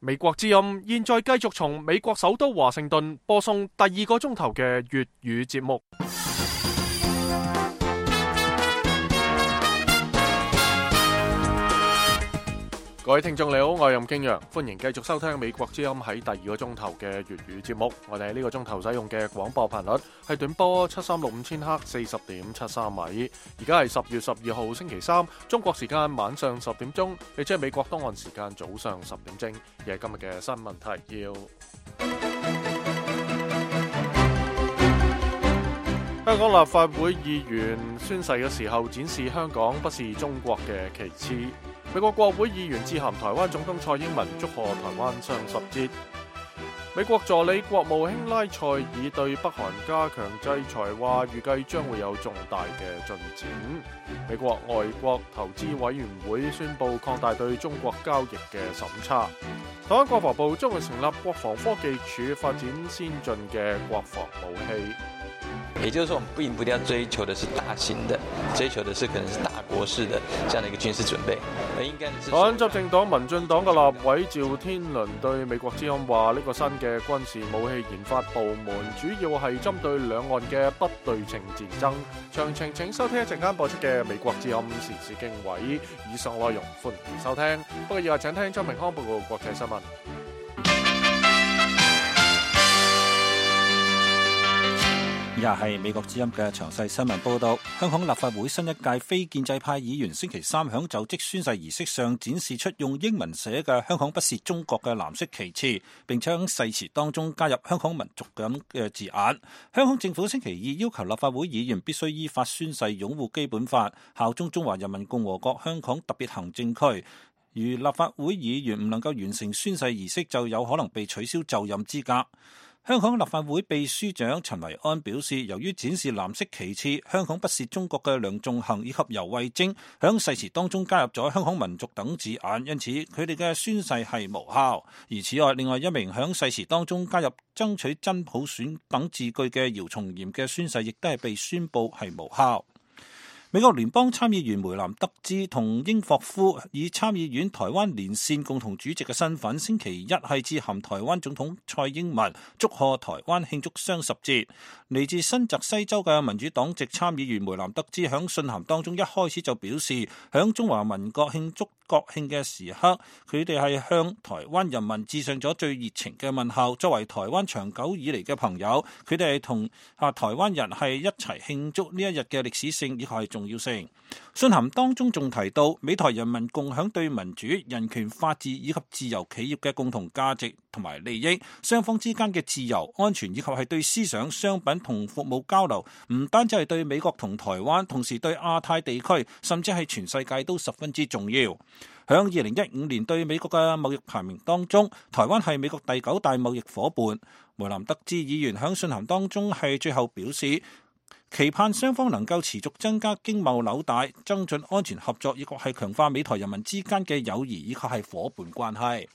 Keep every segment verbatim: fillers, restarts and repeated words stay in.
美國之音現在繼續從美國首都華盛頓播送第二個鐘頭嘅粵語節目。各位聽眾你好，我係任敬陽，歡迎繼續收聽美國之音喺第二個鐘頭嘅粵語節目。我哋喺呢個鐘頭使用嘅廣播頻率係短波七三六五千赫四十點七三米。而家係十月十二號星期三，中國時間晚上十點鐘，亦即係美國東岸時間早上十點正。而係今日嘅新聞提要：香港立法會議員宣誓嘅時候展示香港不是中國嘅旗幟。美國國會議員致函台灣總統蔡英文，祝賀台灣雙十節。美國助理國務卿拉塞爾對北韓加強制裁，話預計將會有重大嘅進展。美國外國投資委員會宣布擴大對中國交易嘅審查。台灣國防部將會成立國防科技署，發展先進嘅國防武器。也就是說，我們並不一定要追求的是大型的，追求的是可能是大國式的這樣的一個軍事準備。而應該是台灣執政黨民進黨嘅立委趙天麟對美國之音話：呢個新嘅軍事武器研發部門主要係針對兩岸嘅不對稱戰爭。詳情請收聽一陣間播出嘅美國之音時事經緯。以上內容歡迎收聽。不過以下請聽張明康報告國際新聞。以下係美國之音嘅詳細新聞報道。香港立法會新一屆非建制派議員星期三響就職宣誓儀式上展示出用英文寫嘅香港不是中國嘅藍色旗幟，並且喺誓詞當中加入香港民族咁嘅字眼。香港政府星期二要求立法會議員必須依法宣誓擁護基本法，效忠中華人民共和國香港特別行政區。如立法會議員唔能夠完成宣誓儀式，就有可能被取消就任資格。香港立法會秘書長陳維安表示，由於展示藍色旗幟香港不是中國嘅梁頌恆以及游蕙禎響誓詞當中加入咗香港民族等字眼，因此佢哋嘅宣誓係無效。而此外，另外一名響誓詞當中加入爭取真普選等字句嘅姚松炎嘅宣誓亦都係被宣布係無效。美國聯邦參議員梅南德茲同英霍夫以參議院台灣連線共同主席嘅身份，星期一係致函台灣總統蔡英文，祝賀台灣慶祝雙十節。嚟自新澤西州嘅民主黨籍參議員梅南德茲響信函當中一開始就表示，響中華民國慶祝國慶嘅時刻，佢哋係向台灣人民致上咗最熱情嘅問候。作為台灣長久以嚟嘅朋友，佢哋係同啊台灣人係一齊慶祝呢一日嘅歷史性以及係重要性。信函當中仲提到，美台人民共享對民主、人權、法治以及自由企業嘅共同價值同埋利益，雙方之間嘅自由、安全以及係對思想、商品同服務交流，唔單止係對美國同台灣，同時對亞太地區，甚至係全世界都十分之重要。響二零一五年對美國嘅貿易排名當中，台灣係美國第九大貿易夥伴。梅南德茲議員響信函當中係最後表示，期盼雙方能夠持續增加經貿紐帶，增進安全合作，以及係強化美台人民之間嘅友誼以及係夥伴關係。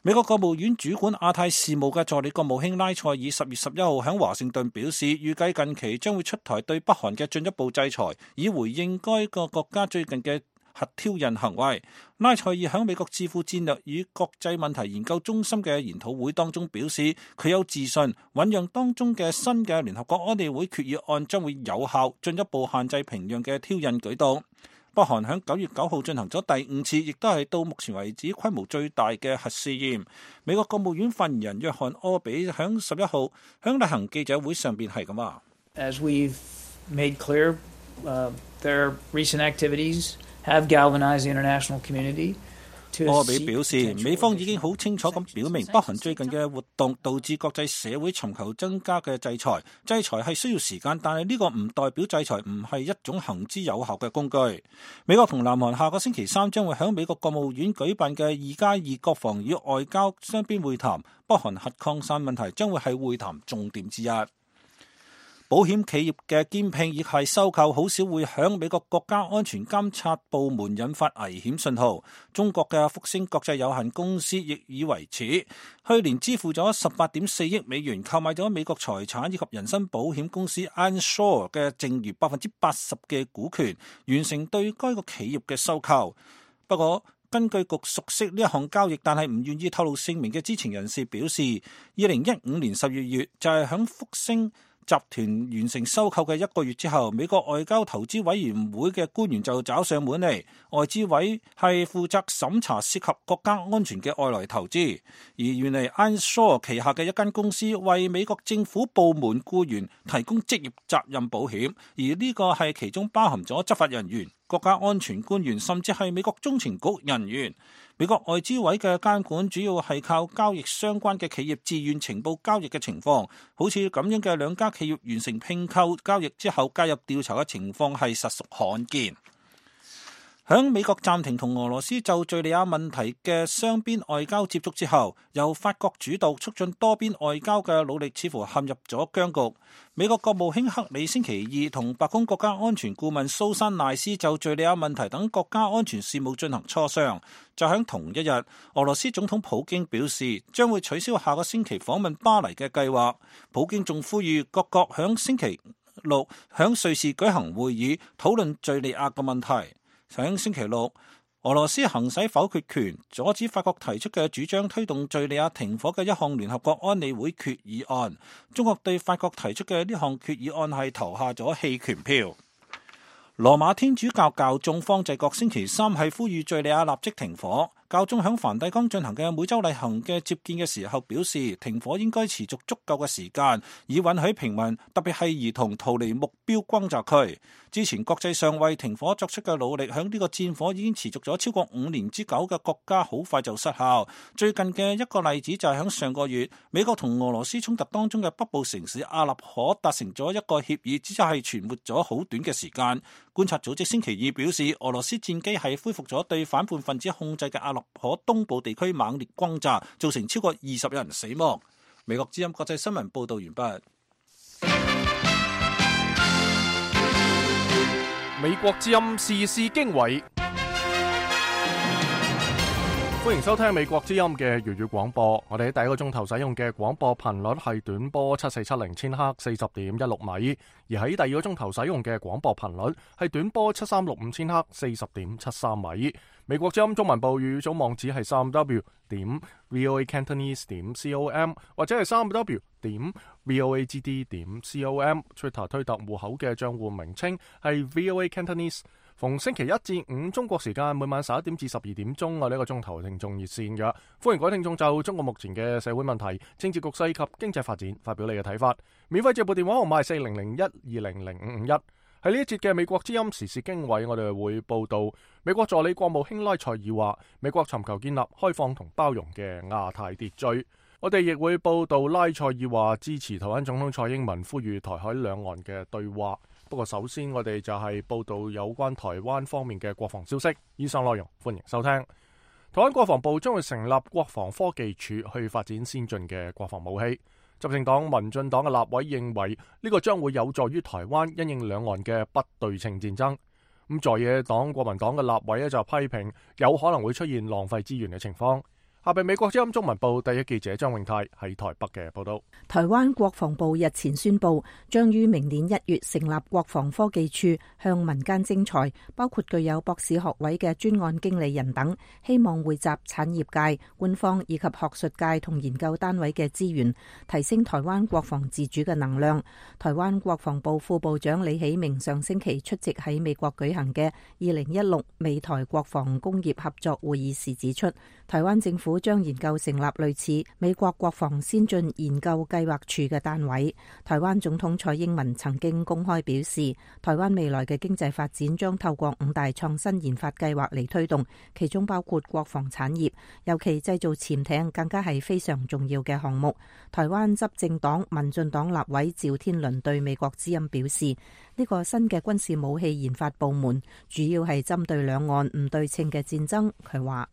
美國國務院主管亞太事務嘅助理國務卿拉塞爾十月十一號喺華盛頓表示，預計近期將會出台對北韓嘅進一步制裁，以回應該個國家最近嘅核挑釁行為。拉塞爾喺美國智庫戰略與國際問題研究中心嘅研討會當中表示，佢有自信醞釀當中嘅新嘅聯合國安理會決議案將會有效進一步限制平壤嘅挑釁舉動。北韓喺九月九號進行咗第五次，亦都係到目前為止規模最大嘅核試驗。美國國務院發言人約翰柯比喺十一號喺例行記者會上邊係咁話：As we've made clear, uh, their recent activities have galvanized the international community. 柯比表示，美方已經好清楚咁表明，北韓最近嘅活動導致國際社會尋求增加嘅制裁。制裁係需要時間，但係呢個唔代表制裁唔係一種行之有效嘅工具。美國同南韓下個星期三將會喺美國國務院舉辦嘅二加二國防與外交雙邊會談，北韓核擴散問題將會係會談重點之一。保險企業嘅兼併亦係收購，好少會響美國國家安全監察部門引發危險信號。中國嘅復星國際有限公司亦以為恥，去年支付咗十八點四億美元購買咗美國財產以及人身保險公司 Ensure 嘅剩餘百分之八十嘅股權，完成對該個企業嘅收購。不過根據局熟悉呢一項交易，但係唔願意透露姓名嘅知情人士表示，二零一五年十二月就係響福星集團完成收購嘅一個月之後，美國外交投資委員會嘅官員就找上門嚟。外資委係負責審查涉及國家安全嘅外來投資，而原嚟 Ironshore 旗下嘅一間公司為美國政府部門僱員提供職業責任保險，而呢個係其中包含咗執法人員、國家安全官員，甚至係美國中情局人員。美國外資委嘅監管主要係靠交易相關嘅企業自願情報交易嘅情況，好似咁樣嘅兩家企業完成併購交易之後介入調查嘅情況係實屬罕見。響美國暫停同俄羅斯就敘利亞問題嘅雙邊外交接觸之後，由法國主導促進多邊外交嘅努力似乎陷入咗僵局。美國國務卿克里星期二同白宮國家安全顧問蘇珊賴斯就敘利亞問題等國家安全事務進行磋商。就喺同一日，俄羅斯總統普京表示將會取消下個星期訪問巴黎嘅計劃。普京仲呼籲各國響星期六響瑞士舉行會議，討論敘利亞嘅問題。上星期六，俄羅斯行使否決權，阻止法國提出嘅主張推動敘利亞停火嘅一項聯合國安理會決議案。中國對法國提出嘅呢項決議案係投下咗棄權票。羅馬天主教教宗方濟各星期三係呼籲敘利亞立即停火。教宗響梵蒂岡進行嘅每週例行嘅接見嘅時候表示，停火應該持續足夠嘅時間，以允許平民，特別係兒童逃離目標轟炸區。之前國際上為停火作出嘅努力，響呢個戰火已經持續咗超過五年之久嘅國家，好快就失效。最近嘅一個例子就係響上個月，美國同俄羅斯衝突當中嘅北部城市阿勒頗達成咗一個協議，只係存活咗好短嘅時間。觀察組織星期二表示，俄羅斯戰機係恢復咗對反叛分子控制嘅阿勒頗東部地區猛烈轟炸，造成超過二十人死亡。美國之音國際新聞報道完畢。美國之音時事經緯，歡迎收聽美國之音嘅粵語廣播。我哋喺第一個鐘頭使用嘅廣播頻率係短波七四七零千赫四十點一六米，而喺第二個鐘頭使用嘅廣播頻率係短波七三六五千赫四十點七三米。美國之音中文部粵語組網址係三 w 點 voacantonese 點 com 或者係三 w 點 voagd 點 com。Twitter 推特戶口嘅賬戶名稱係 voacantonese。逢星期一至五中國時間每晚十一點至十二點鐘，我呢個鐘頭聽眾熱線嘅，歡迎各位聽眾就中國目前嘅社會問題、政治局勢及經濟發展發表你嘅睇法。免費接撥電話號碼係四零零一二零零五五一。喺呢一節嘅美國之音時事經緯，我哋會報道美國助理國務卿拉塞爾話，美國尋求建立開放同包容嘅亞太秩序。我哋亦會報道拉塞爾話支持台灣總統蔡英文呼籲台海兩岸嘅對話。不過首先我哋就係報道有關台灣方面嘅國防消息。以上內容歡迎收聽。台灣國防部將會成立國防科技處去發展先進嘅國防武器。執政黨民進黨嘅立委認為呢個將會有助於台灣因應兩岸嘅不對稱戰爭。咁在野黨國民黨嘅立委咧就批評有可能會出現浪費資源嘅情況。下邊美國之音中文部第一記者張永泰喺台北嘅報道。台灣國防部日前宣布，將於明年一月成立國防科技處，向民間徵才，包括具有博士學位嘅專案經理人等，希望匯集產業界、官方以及學術界同研究單位嘅資源，提升台灣國防自主嘅能量。台灣國防部副部長李喜明上星期出席喺美國舉行嘅二零一六美台國防工業合作會議時指出，台灣政府將研究成立類似美國國防先進研究計劃處嘅單位。台灣總統蔡英文曾經公開表示，台灣未來嘅經濟發展將透過五大創新研發計劃嚟推動，其中包括國防產業，尤其製造潛艇更加係非常重要嘅項目。台灣執政黨民進黨立委趙天麟對美國之音表示，呢個新嘅軍事武器研發部門主要係針對兩岸唔對稱嘅戰爭。佢話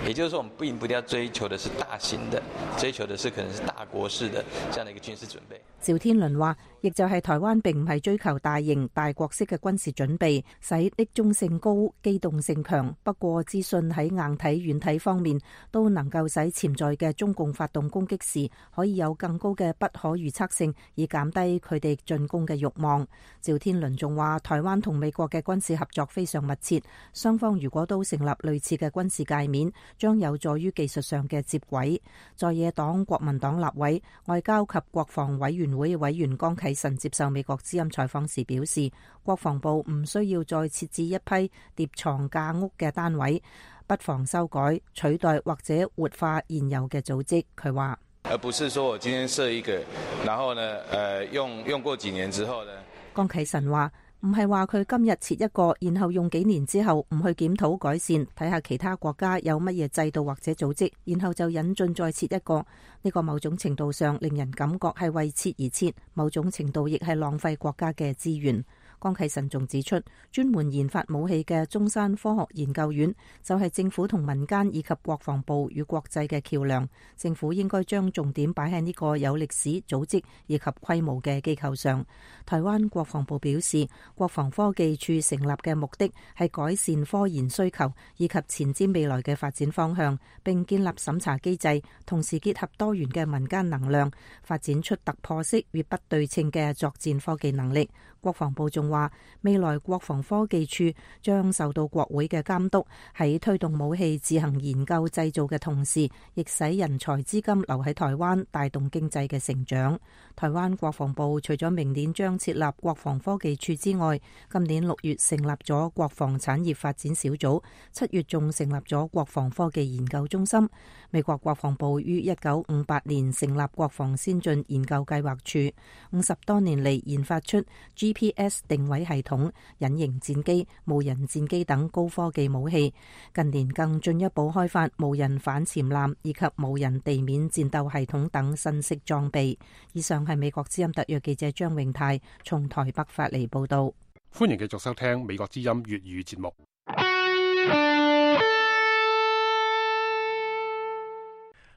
也就是說，我們並不一定要追求的是大型的，追求的是可能是大國式的這樣的一個軍事準備。趙天麟話，亦就係台灣並唔係追求大型大國式嘅軍事準備，使匿蹤性高、機動性強。不過資訊喺硬體、軟體方面都能夠使潛在嘅中共發動攻擊時可以有更高嘅不可預測性，以減低佢哋進攻嘅慾望。趙天麟仲話，台灣同美國嘅軍事合作非常密切，雙方如果都成立類似嘅軍事界面，將有助於技術上嘅接軌。在野黨國民黨立委、外交及國防委員會委員江啟臣接受美國之音採訪時表示，國防部唔需要再設置一批疊床架屋嘅單位，不妨修改、取代或者活化現有嘅組織。佢話，而不是說我今天設一個，然後呢，呃、用用過幾年之後呢？江啟臣話，唔係話佢今日設一個，然後用幾年之後唔去檢討改善，睇下其他國家有乜嘢制度或者組織，然後就引進再設一個。呢個某種程度上令人感覺係為設而設，某種程度亦係浪費國家嘅資源。江啟臣仲指出，專門研發武器嘅中山科學研究院就係政府同民間以及國防部與國際嘅橋梁，政府應該將重點擺喺呢個有歷史、組織以及規模嘅機構上。台灣國防部表示，國防科技處成立嘅目的係改善科研需求以及前瞻未來嘅發展方向，並建立審查機制，同時結合多元嘅民間能量，發展出突破式與不對稱嘅作戰科技能力。國防部仲話，未來國防科技處將受到國會嘅監督，喺推動武器自行研究製造嘅同時，亦使人才資金留喺台灣，帶動經濟嘅成長。台灣國防部除咗明年將設立國防科技處之外，今年六月成立咗國防產業發展小組，七月仲成立咗國防科技研究中心。美國國防部於一九五八年成立國防先進研究計劃處，五十多年嚟研發出 G P S 定位系統、隱形戰機、無人戰機等高科技武器。近年更進一步開發無人反潛艦以及無人地面戰鬥系統等新式裝備。以上係美國之音特約記者張永泰從台北發嚟報道。歡迎繼續收聽美國之音粵語節目。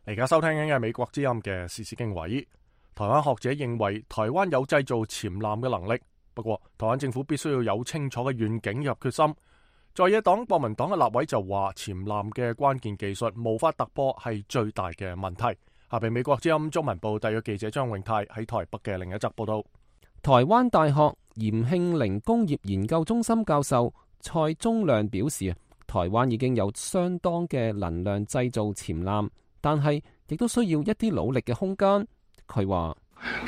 而家收聽緊嘅美國之音嘅時事經緯。台灣學者認為台灣有製造潛艦嘅能力，不過台灣政府必須要有清楚嘅願景入決心。在野黨國民黨嘅立委就話，潛艦嘅關鍵技術無法突破係最大嘅問題。下邊美國之音中文部特約記者張永泰喺台北嘅另一則報道。台灣大學嚴慶陵工業研究中心教授蔡宗亮表示，台灣已經有相當嘅能量製造潛艦，但係亦都需要一啲努力嘅空間。佢話，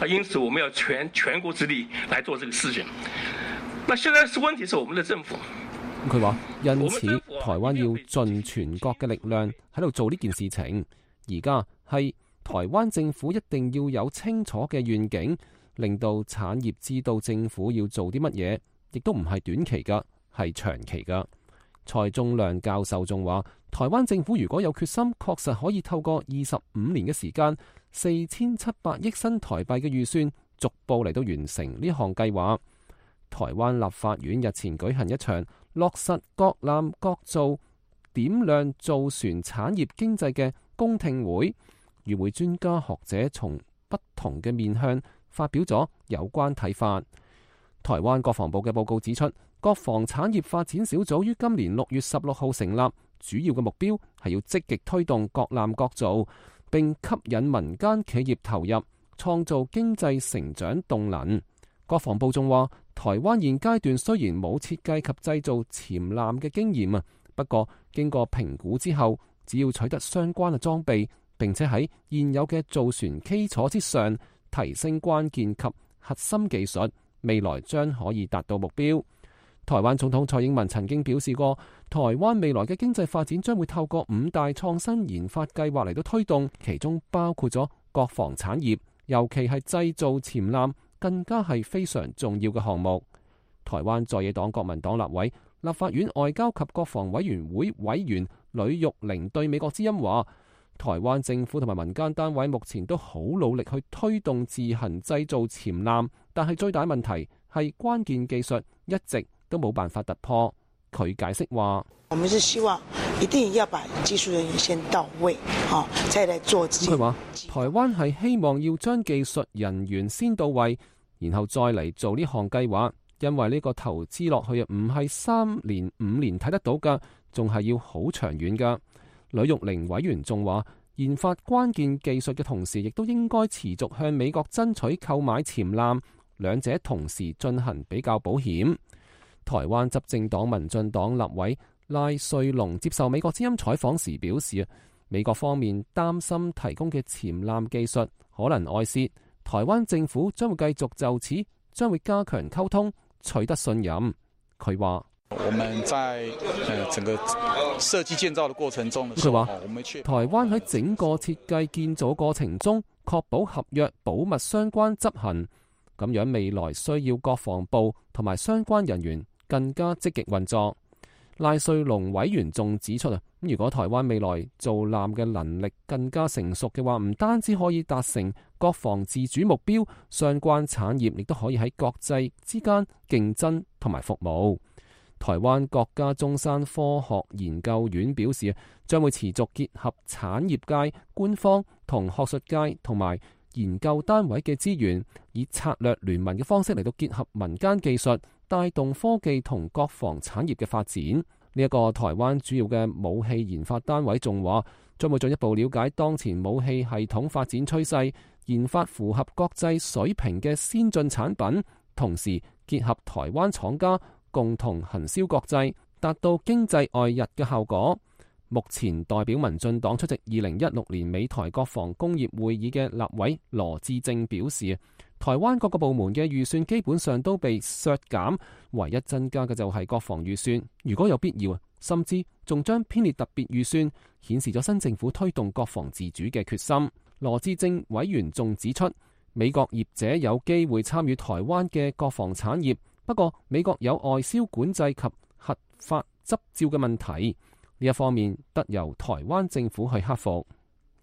因此我們要全全國之力來做這個事情。那現在是問題是我們的政府。佢話，因此台灣要盡全國嘅力量喺度做呢件事情。而家係台灣政府一定要有清楚嘅願景，令到產業知道政府要做啲乜嘢，亦都唔係短期噶，係長期噶。蔡宗亮教授仲話，台灣政府如果有決心，確實可以透過二十五年嘅時間，四千七百億新台幣嘅預算，逐步嚟到完成呢項計劃。台灣立法院日前舉行一場落實國艦國造點亮造船產業經濟嘅公聽會，與會專家學者從不同嘅面向發表咗有關睇法。台灣國防部嘅報告指出，國防產業發展小組於今年六月十六號成立，主要嘅目標係要積極推動國艦國造，並吸引民間企業投入，創造經濟成長動能。國防部仲話，台灣現階段雖然冇設計及製造潛艦嘅經驗啊，不過經過評估之後，只要取得相關嘅裝備，並且喺現有嘅造船基礎之上提升關鍵及核心技術，未來將可以達到目標。台灣總統蔡英文曾經表示過，台灣未來嘅經濟發展將會透過五大創新研發計劃嚟到推動，其中包括咗國防產業，尤其係製造潛艦，更加係非常重要嘅項目。台灣在野黨國民黨立委、立法院外交及國防委員會委員呂玉玲對美國之音話，台灣政府同埋民間單位目前都好努力去推動自行製造潛艦，但係最大問題係關鍵技術一直都冇辦法突破。佢解釋話：我們是希望一定要把技術人員先到位，啊，再來做。佢話台灣係希望要將技術人員先到位，然後再嚟做呢項計劃，因為呢個投資落去啊，唔係三年五年睇得到㗎，仲係要好長遠㗎。呂玉玲委員仲話，研發關鍵技術嘅同時，亦都應該持續向美國爭取購買潛艦，兩者同時進行比較保險。台灣執政黨民進黨立委賴瑞隆接受美國之音採訪時表示，美國方面擔心提供嘅潛艦技術可能外泄，台灣政府將會繼續就此將會加強溝通，取得信任。佢話：我們在整個設計建造的過程中，佢話台灣喺整個設計建造過程中，確保合約保密相關執行，咁樣未來需要國防部同埋相關人員更加積極運作。賴瑞隆委員仲指出啊，如果台灣未來造艦嘅能力更加成熟嘅話，唔單止可以達成國防自主目標，相關產業亦都可以喺國際之間競爭同埋服務。台灣國家中山科學研究院表示，將會持續結合產業界、官方同學術界同埋研究單位嘅資源，以策略聯盟嘅方式嚟到結合民間技術，帶動科技同國防產業嘅發展。呢、這、一個台灣主要嘅武器研發單位仲話，將會進一步了解當前武器系統發展趨勢，研發符合國際水平嘅先進產品，同時結合台灣廠家共同行銷國際，達到經濟外溢嘅效果。目前代表民進黨出席二零一六年美台國防工業會議嘅立委羅致政表示，台灣各個部門嘅預算基本上都被削減，唯一增加嘅就係國防預算。如果有必要，甚至仲將編列特別預算，顯示咗新政府推動國防自主嘅決心。羅致政委員仲指出，美國業者有機會參與台灣嘅國防產業，不過美國有外銷管制及核發執照嘅問題，呢一方面得由台灣政府去克服。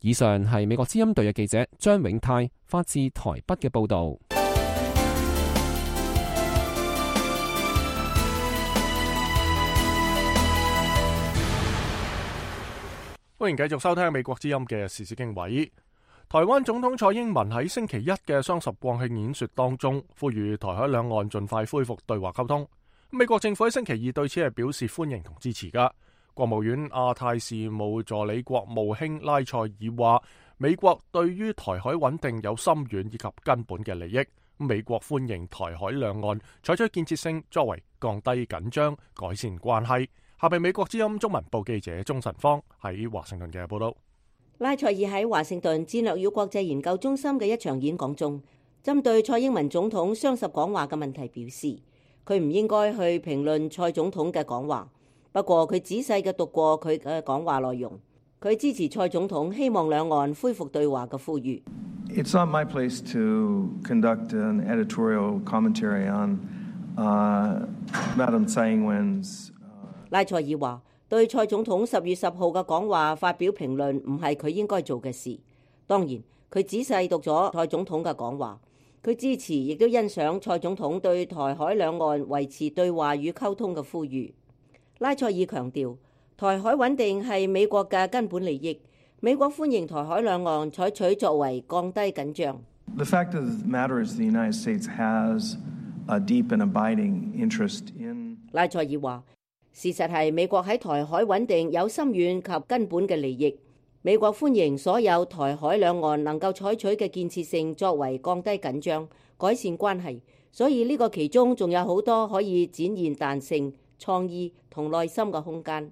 以上係美國之音隊嘅記者張永泰發自台北嘅報導。歡迎繼續收聽美國之音嘅時事經緯。台灣總統蔡英文喺星期一嘅雙十國慶演說當中，呼籲台海兩岸盡快恢復對話溝通。美國政府喺星期二對此係表示歡迎同支持㗎。國務院亞太事務助理國務卿拉塞爾話，美國對於台海穩定有深遠以及根本嘅利益。美國歡迎台海兩岸採取建設性作為，降低緊張、改善關係。下邊美國之音中文部記者鍾晨芳喺華盛頓嘅報道。拉塞爾喺華盛頓戰略與國際研究中心嘅一場演講中，針對蔡英文總統雙十講話嘅問題表示，佢唔應該去評論蔡總統嘅講話。不過佢仔細嘅讀過佢嘅講話內容，佢支持蔡總統希望兩岸恢復對話嘅呼籲。It's not my place to conduct an editorial commentary on, uh, Madam Tsai Ing-wen's. 拉塞爾話，對蔡總統十月十號嘅講話發表評論唔係佢應該做嘅事。當然，佢仔細讀咗蔡總統嘅講話，佢支持亦都欣賞蔡總統對台海兩岸維持對話與溝通嘅呼籲。拉塞爾強調，台海穩定係美國嘅根本利益，美國歡迎台海兩岸採取作為，降低緊張。The fact of the matter is the United States has a deep and abiding interest in. 拉塞爾話，事實係美國喺台海穩定有深遠及根本嘅利益，美國歡迎所有台海兩岸能夠採取嘅建設性作為，降低緊張、改善關係。所以呢個其中仲有好多可以展現彈性、創意同內心嘅空間。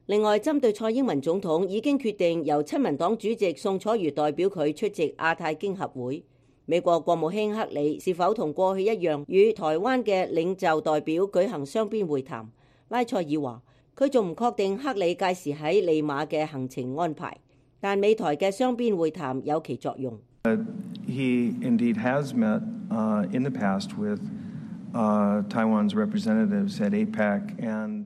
另外，針對蔡英文總統已經決定由親民黨主席宋楚瑜代表佢出席亞太經合會，美國國務卿克里是否同過去一樣與台灣嘅領袖代表舉行雙邊會談？拉塞爾話，佢仲唔確定克里屆時喺利馬嘅行程安排，但美台嘅雙邊會談有其作用。Uh, he indeed has met, uh, in the past with, uh, Taiwan's representatives at A PEC and.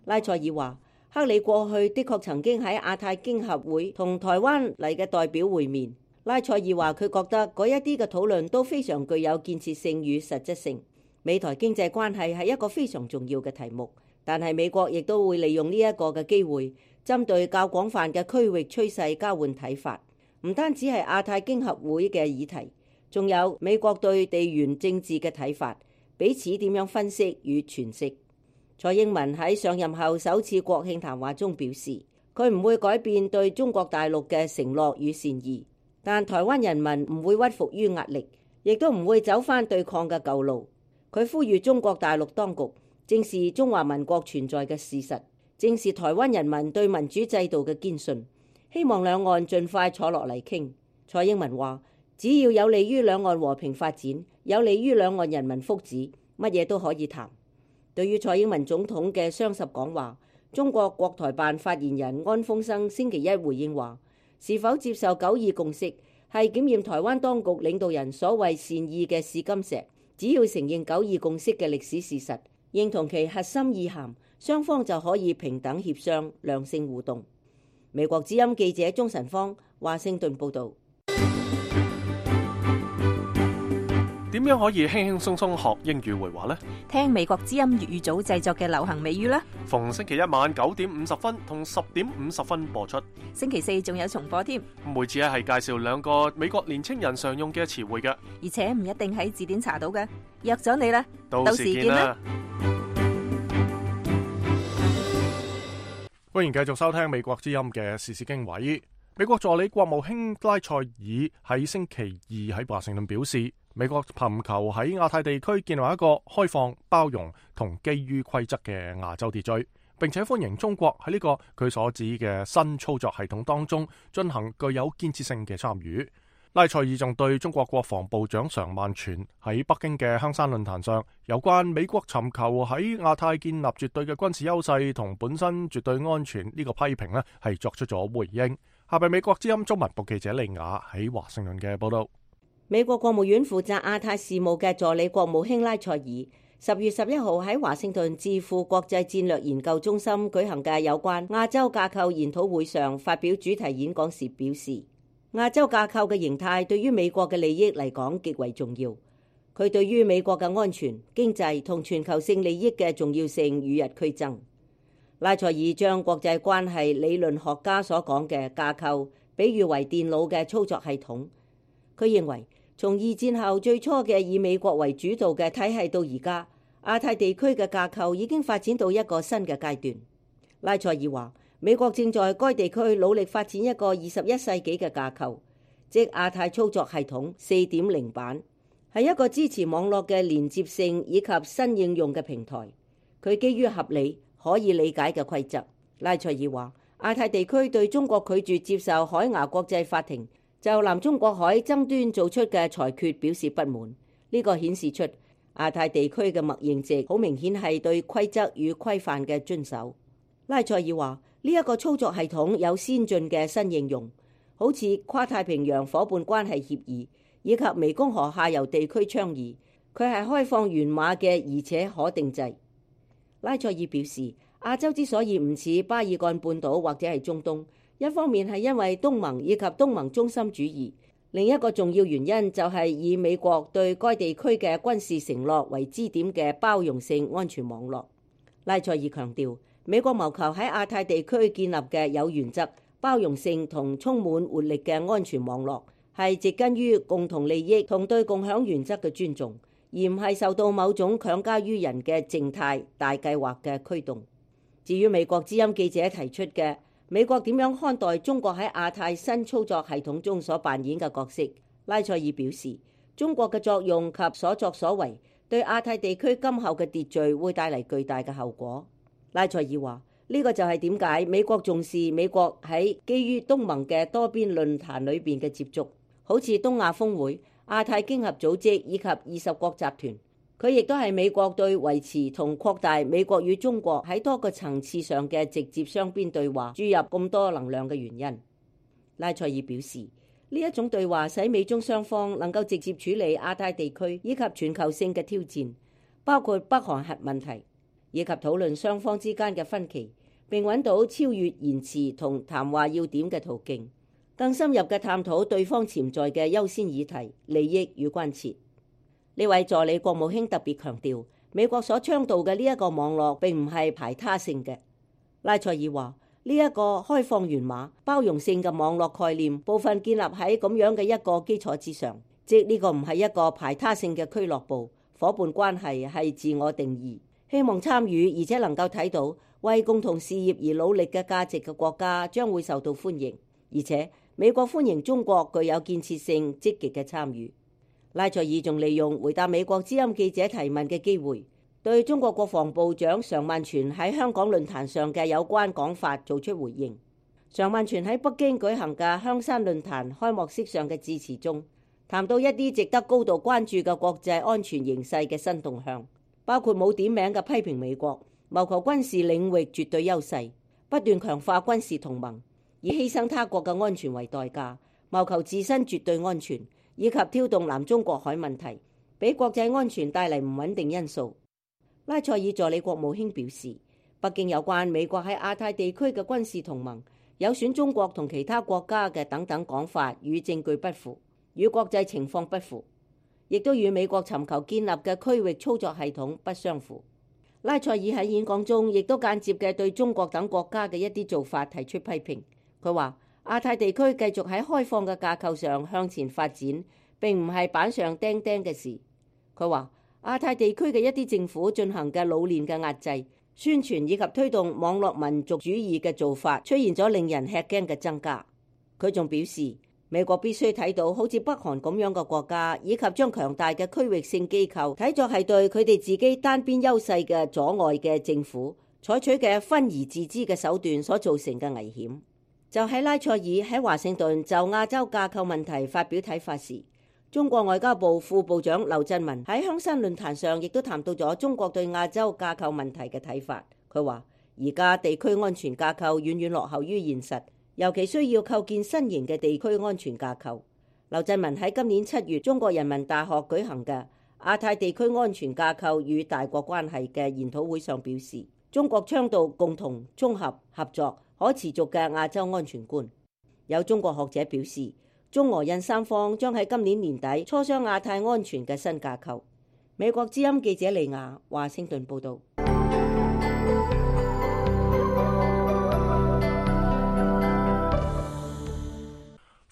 拉塞爾話，克里過去的確曾經喺亞太經合會同台灣嚟嘅代表會面。拉塞爾話，佢覺得嗰一啲嘅討論都非常具有建設性與實質性。美台經濟關係係一個非常重要嘅題目。但係美國亦都會利用呢一個嘅機會，針對較廣泛嘅區域趨勢交換睇法，唔單止係亞太經合會嘅議題，仲有美國對地緣政治嘅睇法，彼此點樣分析與詮釋。蔡英文喺上任後首次國慶談話中表示，佢唔會改變對中國大陸嘅承諾與善意，但台灣人民唔會屈服於壓力，亦都唔會走返對抗嘅舊路。佢呼籲中國大陸當局正視中華民國存在嘅事實，正視台灣人民對民主制度嘅堅信，希望兩岸盡快坐落嚟傾。蔡英文話，只要有利於兩岸和平發展，有利於兩岸人民福祉，乜嘢都可以談。對於蔡英文總統嘅雙十講話，中國國台辦發言人安峰生星期一回應話，是否接受九二共識係檢驗台灣當局領導人所謂善意嘅試金石，只要承認九二共識嘅歷史事實，認同其核心意涵，雙方就可以平等協商、良性互動。美國之音記者鍾晨芳華盛頓報導。點樣可以輕輕鬆鬆學英語會話呢？聽美國之音粵語組製作嘅流行美語啦！逢星期一晚九點五十分同十點五十分播出，星期四仲有重播添。每次咧係介紹兩個美國年青人常用嘅詞彙嘅，而且唔一定喺字典查到嘅。約咗你啦，到時見啦！歡迎繼續收聽美國之音嘅時事經緯。美國助理國務卿拉塞爾喺星期二喺華盛頓表示，美國尋求喺亞太地區建立一個開放、包容同基於規則嘅亞洲秩序，並且歡迎中國喺呢個佢所指嘅新操作系統當中進行具有建設性嘅參與。拉塞爾仲對中國國防部長常萬全喺北京嘅香山論壇上有關美國尋求喺亞太建立絕對嘅軍事優勢同本身絕對安全呢個批評呢係作出咗回應。下邊美國之音中文部記者利亞喺華盛頓嘅報道。美國國務院負責亞太事務嘅助理國務卿拉塞爾十月十一號喺華盛頓智庫國際戰略研究中心舉行嘅有關亞洲架構研討會上發表主題演講時表示，亞洲架構嘅形態對於美國嘅利益嚟講極為重要，佢對於美國嘅安全、經濟同全球性利益嘅重要性與日俱增。拉塞爾將國際關係理論學家所講嘅架構比喻為電腦嘅操作系統。佢認為從二戰後最初嘅以美國為主導嘅體系到而家，亞太地區嘅架構已經發展到一個新嘅階段。拉塞爾話，美國正在該地區努力發展一個二十一世紀嘅架構，即亞太操作系統 四點零 版，係一個支持網絡嘅連接性以及新應用嘅平台。佢基於合理可以理解嘅規則。拉塞爾話，亞太地區對中國拒絕接受海牙國際法庭就南中國海爭端做出嘅裁決表示不滿。呢個顯示出亞太地區嘅默認值好明顯係對規則與規範嘅遵守。拉塞爾話，呢一個操作系統有先進嘅新應用，好似跨太平洋夥伴關係協議以及湄公河下游地區倡議。佢係開放源碼嘅，而且可定制。拉塞爾表示，亞洲之所以唔似巴爾幹半島或者係中東，一方面係因為東盟以及東盟中心主義，另一個重要原因就係以美國對該地區嘅軍事承諾為支點嘅包容性安全網絡。拉塞爾強調，美國謀求喺亞太地區建立嘅有原則、包容性同充滿活力嘅安全網絡，係植根於共同利益同對共享原則嘅尊重，而唔係受到某種強加於人嘅靜態大計劃嘅驅動。至於美國之音記者提出嘅美國點樣看待中國喺亞太新操作系統中所扮演嘅角色，拉塞爾表示，中國嘅作用及所作所為對亞太地區今後嘅秩序會帶嚟巨大嘅後果。拉塞爾話，呢個就係點解美國重視美國喺基於東盟嘅多邊論壇裏邊嘅接觸，好似東亞峰會、亞太經合組織以及二十國集團。佢亦都係美國對維持同擴大美國與中國喺多個層次上嘅直接雙邊對話注入咁多能量嘅原因。拉塞爾表示，呢一種對話使美中雙方能夠直接處理亞太地區以及全球性嘅挑戰，包括北韓核問題，以及討論雙方之間嘅分歧，並揾到超越言辭同談話要點嘅途徑，更深入嘅探討對方潛在嘅優先議題、利益與關切。呢位助理國務卿特別強調，美國所倡導嘅呢一個網絡並唔係排他性嘅。拉塞爾話：呢一個開放源碼、包容性嘅網絡概念，部分建立喺咁樣嘅一個基礎之上，即呢個唔係一個排他性嘅俱樂部，夥伴關係係自我定義，希望參與而且能夠睇到為共同事業而努力嘅價值嘅國家將會受到歡迎，而且美國歡迎中國具有建設性、積極嘅參與。拉塞爾仲利用回答美國之音記者提問嘅機會，對中國國防部長常萬全喺香港論壇上嘅有關講法做出回應。常萬全喺北京舉行嘅香山論壇開幕式上嘅致辭中，談到一啲值得高度關注嘅國際安全形勢嘅新動向，包括冇點名嘅批評美國謀求軍事領域絕對優勢，不斷強化軍事同盟，以犧牲他國嘅安全為代價，謀求自身絕對安全，以及挑動南中國海問題，俾國際安全帶嚟唔穩定因素。拉塞爾助理國務卿表示，北京有關美國喺亞太地區嘅軍事同盟有損中國同其他國家嘅等等講法與證據不符，與國際情況不符，亦都與美國尋求建立嘅區域操作系統不相符。拉塞爾喺演講中亦都間接嘅對中國等國家嘅一啲做法提出批評。佢話亞太地區繼續喺開放嘅架構上向前發展，並唔係板上釘釘嘅事。佢話亞太地區嘅一啲政府進行嘅老練嘅壓制、宣傳以及推動網絡民族主義嘅做法，出現咗令人吃驚嘅增加。佢仲表示，美國必須睇到好似北韓咁樣嘅國家，以及將強大嘅區域性機構睇作係對佢哋自己單邊優勢嘅阻礙嘅政府採取嘅分而治之嘅手段所造成嘅危險。就喺拉塞爾喺華盛頓就亞洲架構問題發表睇法時，中國外交部副部長劉振民喺香山論壇上亦都談到咗中國對亞洲架構問題嘅睇法。佢話而家地區安全架構遠遠落後於現實，尤其需要構建新型嘅地區安全架構。劉振民喺今年七月中國人民大學舉行嘅亞太地區安全架構與大國關係嘅研討會上表示，中國倡導共同、綜合、合作、可持續嘅亞洲安全觀。有中國學者表示，中俄印三方將喺今年年底磋商亞太安全嘅新架構。美國之音記者利亞華盛頓報道。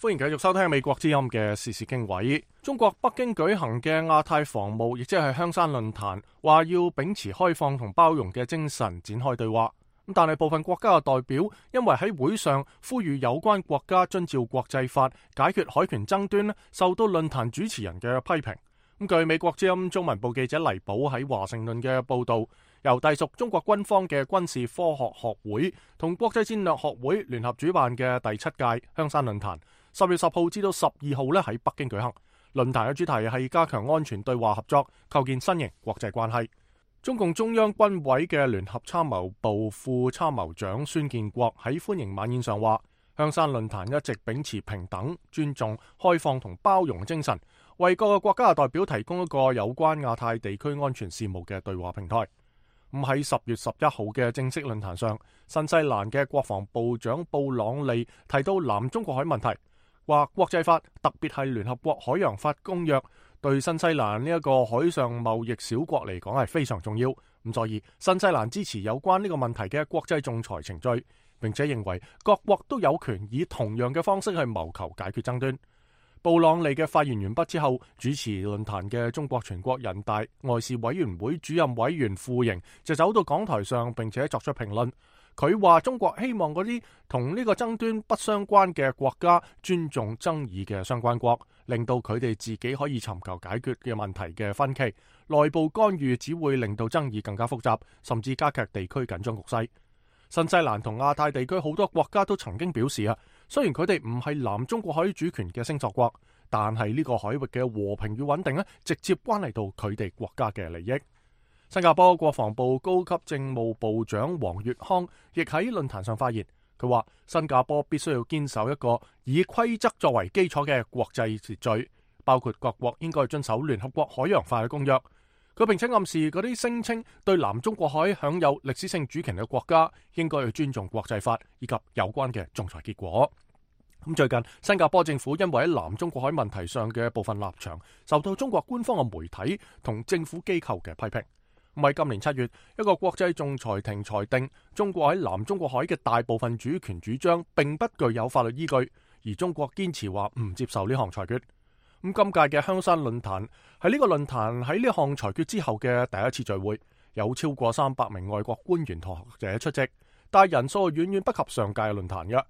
歡迎繼續收聽美國之音嘅時事經緯。中國北京舉行嘅亞太防務，亦即係香山論壇，話要秉持開放同包容嘅精神展開對話。咁但係部分國家嘅代表因為喺會上呼籲有關國家遵照國際法解決海權爭端，受到論壇主持人嘅批評。咁據美國之音中文部記者黎寶喺華盛頓嘅報道，由隸屬中國軍方嘅軍事科學學會同國際戰略學會聯合主辦嘅第七屆香山論壇，十月十號至到十二號咧喺北京舉行。論壇嘅主題係加強安全對話合作，構建新型國際關係。中共中央軍委嘅聯合參謀部副參謀長孫建國喺歡迎晚宴上話，香山論壇一直秉持平等、尊重、開放同包容精神，為各個國家嘅代表提供一個有關亞太地區安全事務嘅對話平台。咁喺十月十一號嘅正式論壇上，新西蘭嘅國防部長布朗利提到南中國海問題，話國際法，特別係聯合國海洋法公約，對新西蘭呢一個海上貿易小國嚟講係非常重要。咁所以新西蘭支持有關呢個問題嘅國際仲裁程序，並且認為各國都有權以同樣嘅方式去謀求解決爭端。布朗利嘅發言完畢之後，主持論壇嘅中國全國人大外事委員會主任委員傅瑩就走到講台上，並且作出評論。佢話中國希望嗰啲同呢個爭端不相關嘅國家尊重爭議嘅相關國，令到佢哋自己可以尋求解決嘅問題嘅分歧。內部干預只會令到爭議更加複雜，甚至加劇地區緊張局勢。新西蘭同亞太地區好多國家都曾經表示啊，雖然佢哋唔係南中國海主權嘅星索國，但係呢個海域嘅和平與穩定咧，直接關係到佢哋國家嘅利益。新加坡國防部高級政務部長黃月康亦喺論壇上發言，佢話新加坡必須要堅守一個以規則作為基礎嘅國際秩序，包括各國應該遵守聯合國海洋法嘅公約。佢並且暗示嗰啲聲稱對南中國海享有歷史性主權嘅國家應該要尊重國際法以及有關嘅仲裁結果。咁最近新加坡政府因為喺南中國海問題上嘅部分立場受到中國官方嘅媒體同政府機構嘅批評。咁喺今年七月，一個國際仲裁庭裁定中國喺南中國海嘅大部分主權主張並不具有法律依據，而中國堅持話唔接受呢項裁決。咁今屆嘅香山論壇係呢個論壇喺呢項裁決之後嘅第一次聚會，有超過三百名外國官員同學者出席，但係人數遠遠不及上屆嘅論壇嘅。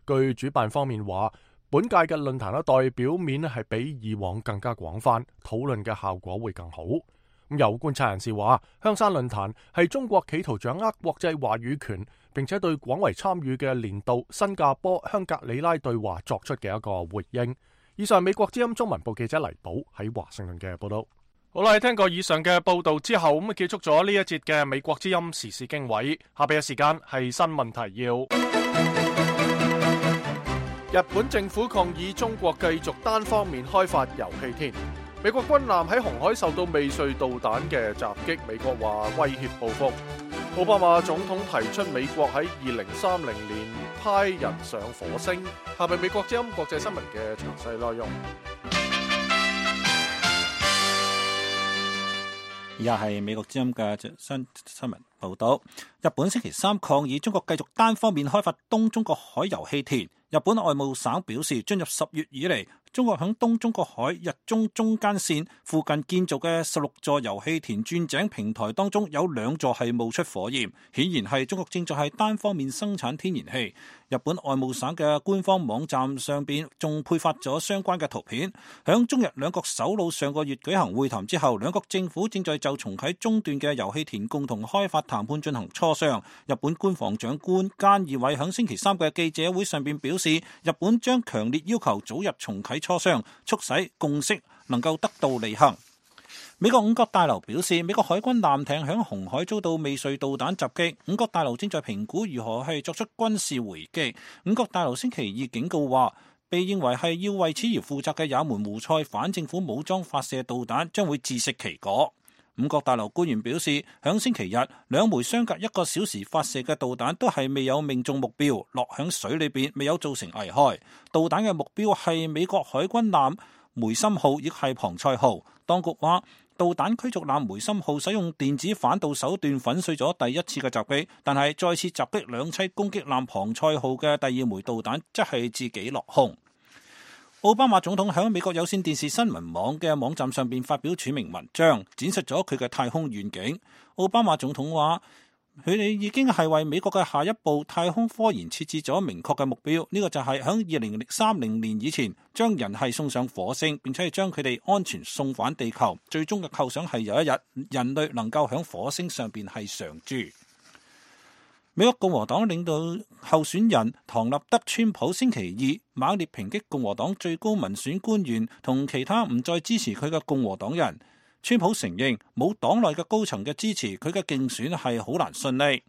據主辦方面話，本屆嘅論壇咧代表面咧係比以往更加廣泛，討論嘅效果會更好。咁有觀察人士話，香山論壇係中國企圖掌握國際話語權，並且對廣為參與嘅年度新加坡香格里拉對話作出嘅一個回應。以上係美國之音中文部記者黎寶喺華盛頓嘅報道。好啦，聽過以上嘅報道之後，咁啊結束咗呢一節嘅美國之音時事經緯。下邊嘅時間係新聞提要。日本政府抗議中國繼續單方面開發油氣田。美國軍艦喺紅海受到未遂導彈嘅襲擊，美國話威脅報復。奧巴馬總統提出美國喺二零三零年派人上火星。下邊美國之音國際新聞嘅詳細內容。以下係美國之音嘅新新聞報道。日本星期三抗議中國繼續單方面開發東中國海油氣田。日本外務省表示，進入十月以嚟，中國響東中國海日中中間線附近建造嘅十六座油氣田鑽井平台當中，有兩座係冒出火焰，顯然係中國正在係單方面生產天然氣。日本外務省嘅官方網站上邊仲配發咗相關嘅圖片。響中日兩國首腦上個月舉行會談之後，兩國政府正在就重啟中斷嘅油氣田共同開發談判進行磋商。日本官房長官菅義偉響星期三嘅記者會上邊表示，日本將強烈要求早日重啟磋商，促使共識能夠得到履行。美國五角大樓表示，美國海軍艦艇響紅海遭到未遂導彈襲擊，五角大樓正在評估如何係作出軍事回擊。五角大樓星期二警告話，被認為係要為此而負責嘅也門胡塞反政府武裝發射導彈將會自食其果。五角大樓官員表示，響星期日兩枚相隔一個小時發射嘅導彈都係未有命中目標，落響水裏邊未有造成危害。導彈嘅目標係美國海軍艦梅森號，亦係龐塞號。當局話，導彈驅逐艦梅森號使用電子反導手段粉碎咗第一次嘅襲擊，但係再次襲擊兩棲攻擊艦龐塞號嘅第二枚導彈則係自己落空。奧巴馬總統喺美國有線電視新聞網嘅網站上邊發表署名文章，展示咗佢嘅太空願景。奧巴馬總統話，佢哋已經係為美國嘅下一步太空科研設置咗明確嘅目標，呢、這個就係喺二零三零年以前將人係送上火星，並且係將佢哋安全送返地球。最終嘅構想係有一日人類能夠喺火星上邊係常住。美國共和黨領導候選人唐納德·川普星期二猛烈抨擊共和黨最高民選官員同其他唔再支持佢嘅共和黨人。川普承認冇黨內嘅高層嘅支持，佢嘅競選係好難順利。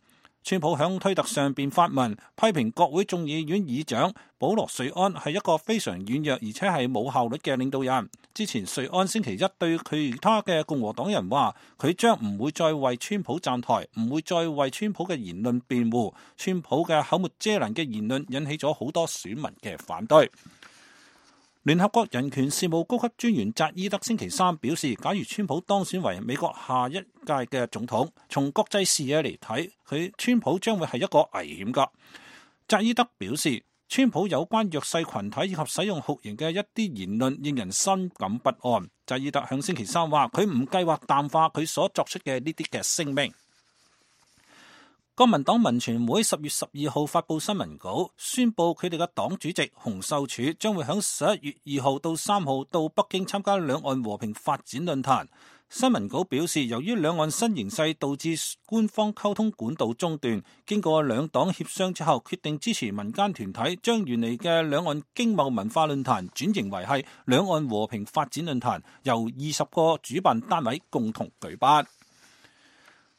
川普響推特上邊發文批評國會眾議院議長保羅·瑞安係一個非常軟弱而且係冇效率嘅領導人。之前瑞安星期一對其他嘅共和黨人話，佢將唔會再為川普站台，唔會再為川普嘅言論辯護。川普嘅口沒遮攔嘅言論引起咗好多選民嘅反對。聯合國人權事務高級專員扎伊德星期三表示，假如川普當選為美國下一屆嘅總統，從國際視野嚟睇，佢川普將會係一個危險噶。扎伊德表示，川普有關弱勢群體以及使用酷刑嘅一啲言論令人深感不安。扎伊德向星期三話，佢唔計劃淡化佢所作出嘅呢啲嘅聲明。國民黨民權會十月十二號發佈新聞稿，宣布佢哋嘅黨主席洪秀柱將會喺十一月二號到三號到北京參加兩岸和平發展論壇。新聞稿表示，由於兩岸新形勢導致官方溝通管道中斷，經過兩黨協商之後，決定支持民間團體將原嚟嘅兩岸經貿文化論壇轉型為係兩岸和平發展論壇，由二十個主辦單位共同舉辦。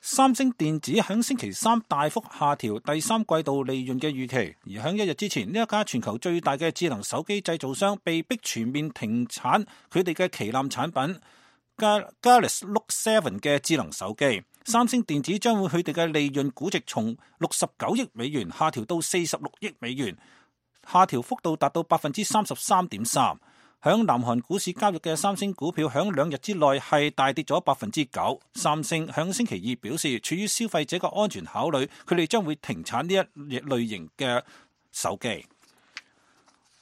三星電子喺星期三大幅下調第三季度利潤嘅預期，而喺一日之前，呢一家全球最大嘅智能手機製造商被迫全面停產佢哋嘅旗艦產品 Galaxy Note 七嘅智能手機。三星電子將會佢哋嘅利潤估值從六十九億美元下調到四十六億美元，下調幅度達到百分之三十三點三。響南韓股市交易嘅三星股票響兩日之內係大跌咗百分之九。三星響星期二表示，出於消費者嘅安全考慮，佢哋將會停產呢一類型嘅手機。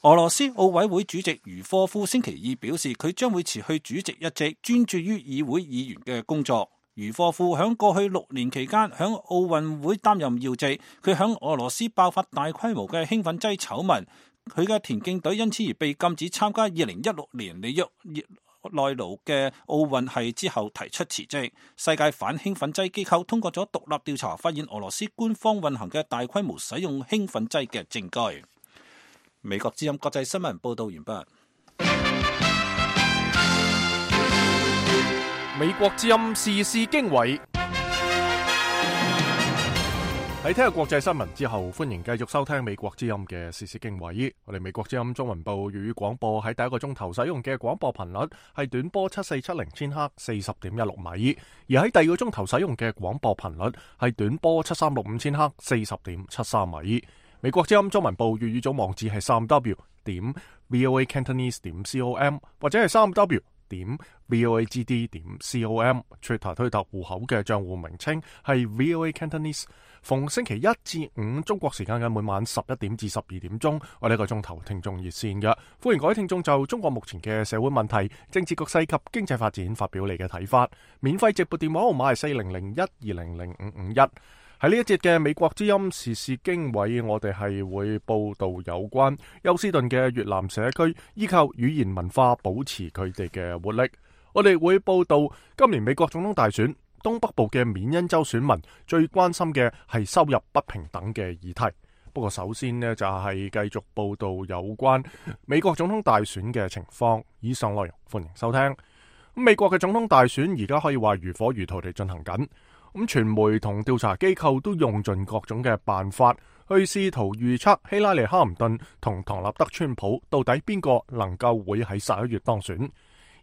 俄羅斯奧委會主席茹科夫星期二表示，佢將會辭去主席一職，專注於議會議員嘅工作。茹科夫響過去六年期間響奧運會擔任要職，佢響俄羅斯爆發大規模嘅興奮劑醜聞。佢嘅田徑隊因此而被禁止參加二零一六年里約內盧嘅奧運，係之後提出辭職。世界反興奮劑機構通過咗獨立調查，發現俄羅斯官方運行嘅大規模使用興奮劑嘅證據。美國之音國際新聞報道完畢。美國之音時事經緯。喺聽日國際新聞之後，歡迎繼續收聽美國之音嘅時事經緯。我哋美國之音中文部粵語廣播喺第一個鐘頭使用嘅廣播頻率係短波七四七零千赫四十點一六米，而喺第二個鐘頭使用嘅廣播頻率係短波七三六五千赫四十點七三米。美國之音中文部粵語組網址係三 w 點 voa cantonese 點 com 或者係三 w 點 voagd 點 com。Twitter 推特戶口嘅賬戶名稱係 voa cantonese。逢星期一至五中國時間嘅每晚十一點至十二點鐘，我哋一個鐘頭聽眾熱線嘅，歡迎各位聽眾就中國目前嘅社會問題、政治局勢及經濟發展發表你嘅睇法。免費直撥電話號碼係四零零一二零零五五一。喺呢一節嘅美國之音時事經緯，我哋係會報道有關休斯頓嘅越南社區依靠語言文化保持佢哋嘅活力。我哋會報道今年美國總統大選，東北部嘅緬因州選民最關心嘅係收入不平等嘅議題。不過首先呢，就係繼續報道有關美國總統大選嘅情況。以上內容歡迎收聽。美國嘅總統大選而家可以話如火如荼地進行緊。咁傳媒同調查機構都用盡各種嘅辦法去試圖預測希拉里哈林頓同唐納德川普到底邊個能夠會喺十一月當選。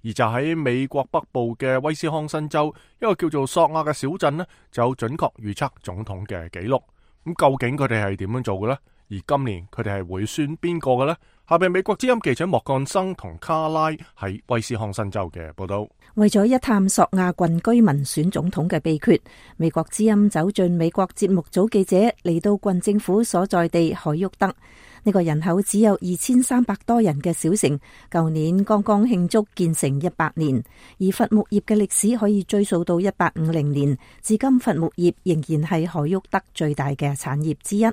而就喺美國北部嘅威斯康辛州一個叫做索亞嘅小鎮呢，就有準確預測總統嘅記錄。咁究竟佢哋係點樣做嘅呢？而今年佢哋係會選邊個嘅呢？下邊美國之音記者莫幹生同卡拉喺威斯康辛州嘅報道。為咗一探索亞郡居民選總統嘅秘訣，美國之音走進美國節目組記者嚟到郡政府所在地海沃德。呢個人口只有二千三百多人嘅小城，舊年剛剛慶祝建成一百年，而伐木業嘅歷史可以追溯到一八五零年，至今伐木業仍然係海沃德最大嘅產業之一。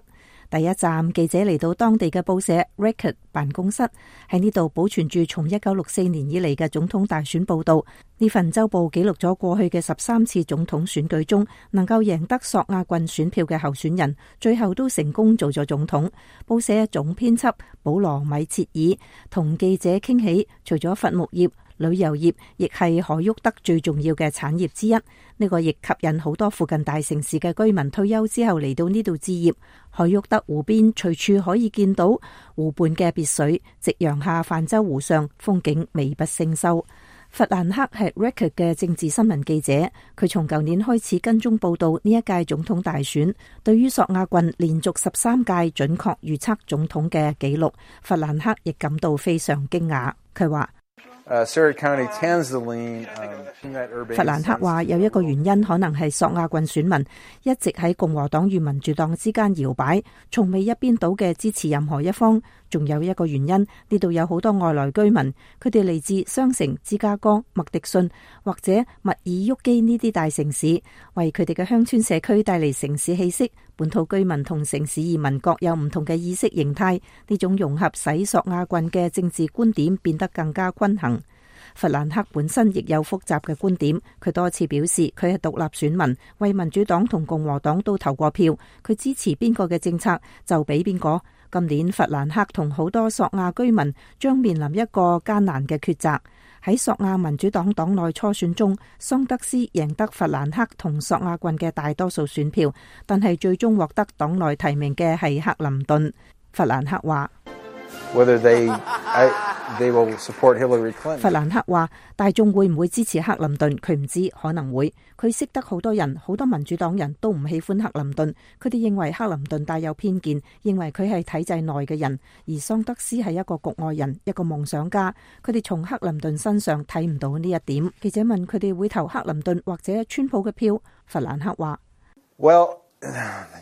第一站，記者嚟到當地嘅報社 Record 辦公室，喺呢度保存住從一九六四年以嚟嘅總統大選報道。呢份週報記錄咗過去嘅十三次總統選舉中，能夠贏得索亞郡選票嘅候選人，最後都成功做咗總統。報社總編輯保羅米切爾同記者傾起，除咗伐木業，旅遊業亦係海沃德最重要嘅產業之一。呢個亦吸引好多附近大城市嘅居民退休之後嚟到呢度置業。海沃德湖邊隨處可以見到湖畔嘅別墅，夕陽下泛舟湖上，風景美不勝收。弗蘭克係 Record 嘅政治新聞記者，佢從舊年開始跟蹤報道呢一屆總統大選。對於索亞郡連續十三屆準確預測總統嘅紀錄，弗蘭克亦感到非常驚訝。佢話Uh, Surrey County, Tanzaline, um, 弗蘭克話有一個原因可能係索亞郡選民一直喺共和黨與民主黨之間搖擺，從未一邊倒嘅支持任何一方。仲有一個原因，呢度有好多外來居民，佢哋嚟自雙城、芝加哥、麥迪遜或者密爾沃基呢啲大城市，為佢哋嘅鄉村社區帶嚟城市氣息。本土居民同城市移民各有唔同嘅意識形態，呢種融合使索亞郡嘅政治觀點變得更加均衡。弗蘭克本身亦有複雜嘅觀點，佢多次表示佢係獨立選民，為民主黨同共和黨都投過票，佢支持邊個嘅政策就俾邊個。今年弗蘭克同好多索亞居民將面臨一個艱難嘅抉擇。喺索亞民主黨黨內初選中，桑德斯贏得弗蘭克同索亞郡嘅大多數選票，但係最終獲得黨內提名嘅係克林頓。弗蘭克話 whether they I, they will support Hillary Clinton. 弗蘭克話：大眾會唔會支持克林頓？佢唔知，可能會。佢識得好多人，好多民主黨人都唔喜歡克林頓，佢哋認為克林頓帶有偏見，認為佢係體制內嘅人，而桑德斯係一個局外人，一個夢想家。佢哋從克林頓身上睇唔到呢一點。記者問佢哋會投克林頓或者川普嘅票，弗蘭克話 Well,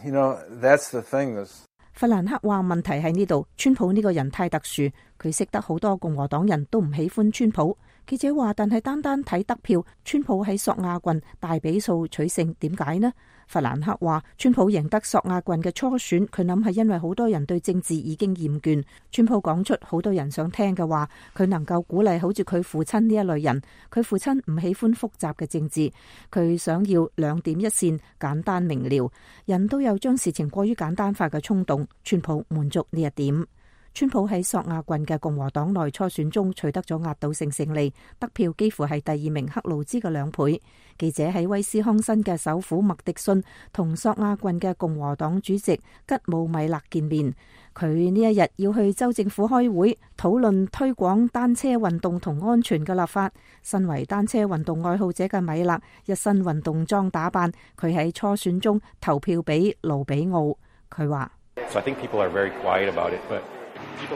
you know, that's the thing. 弗蘭克話問題喺呢度，川普呢個人太特殊，佢識得好多共和黨人都唔喜歡川普。記者話，但係單單睇得票，川普喺索亞郡大比數取勝，點解呢？弗蘭克話，川普贏得索亞郡嘅初選，佢諗係因為好多人對政治已經厭倦。川普講出好多人想聽嘅話，佢能夠鼓勵好似佢父親呢一類人。佢父親唔喜歡複雜嘅政治，佢想要兩點一線，簡單明了。人都有將事情過於簡單化嘅衝動，川普滿足呢一點。川普喺索亞郡嘅共和黨內初選中取得咗壓倒性勝利，得票幾乎係第二名克魯茲嘅兩倍。記者喺威斯康辛嘅首府麥迪遜同索亞郡嘅共和黨主席吉姆米勒見面，佢呢一日要去州政府開會討論推廣單車運動同安全嘅立法。身為單車運動愛好者嘅米勒一身運動裝打扮，佢喺初選中投票俾盧比奧。佢話So I think people are very quiet about it, but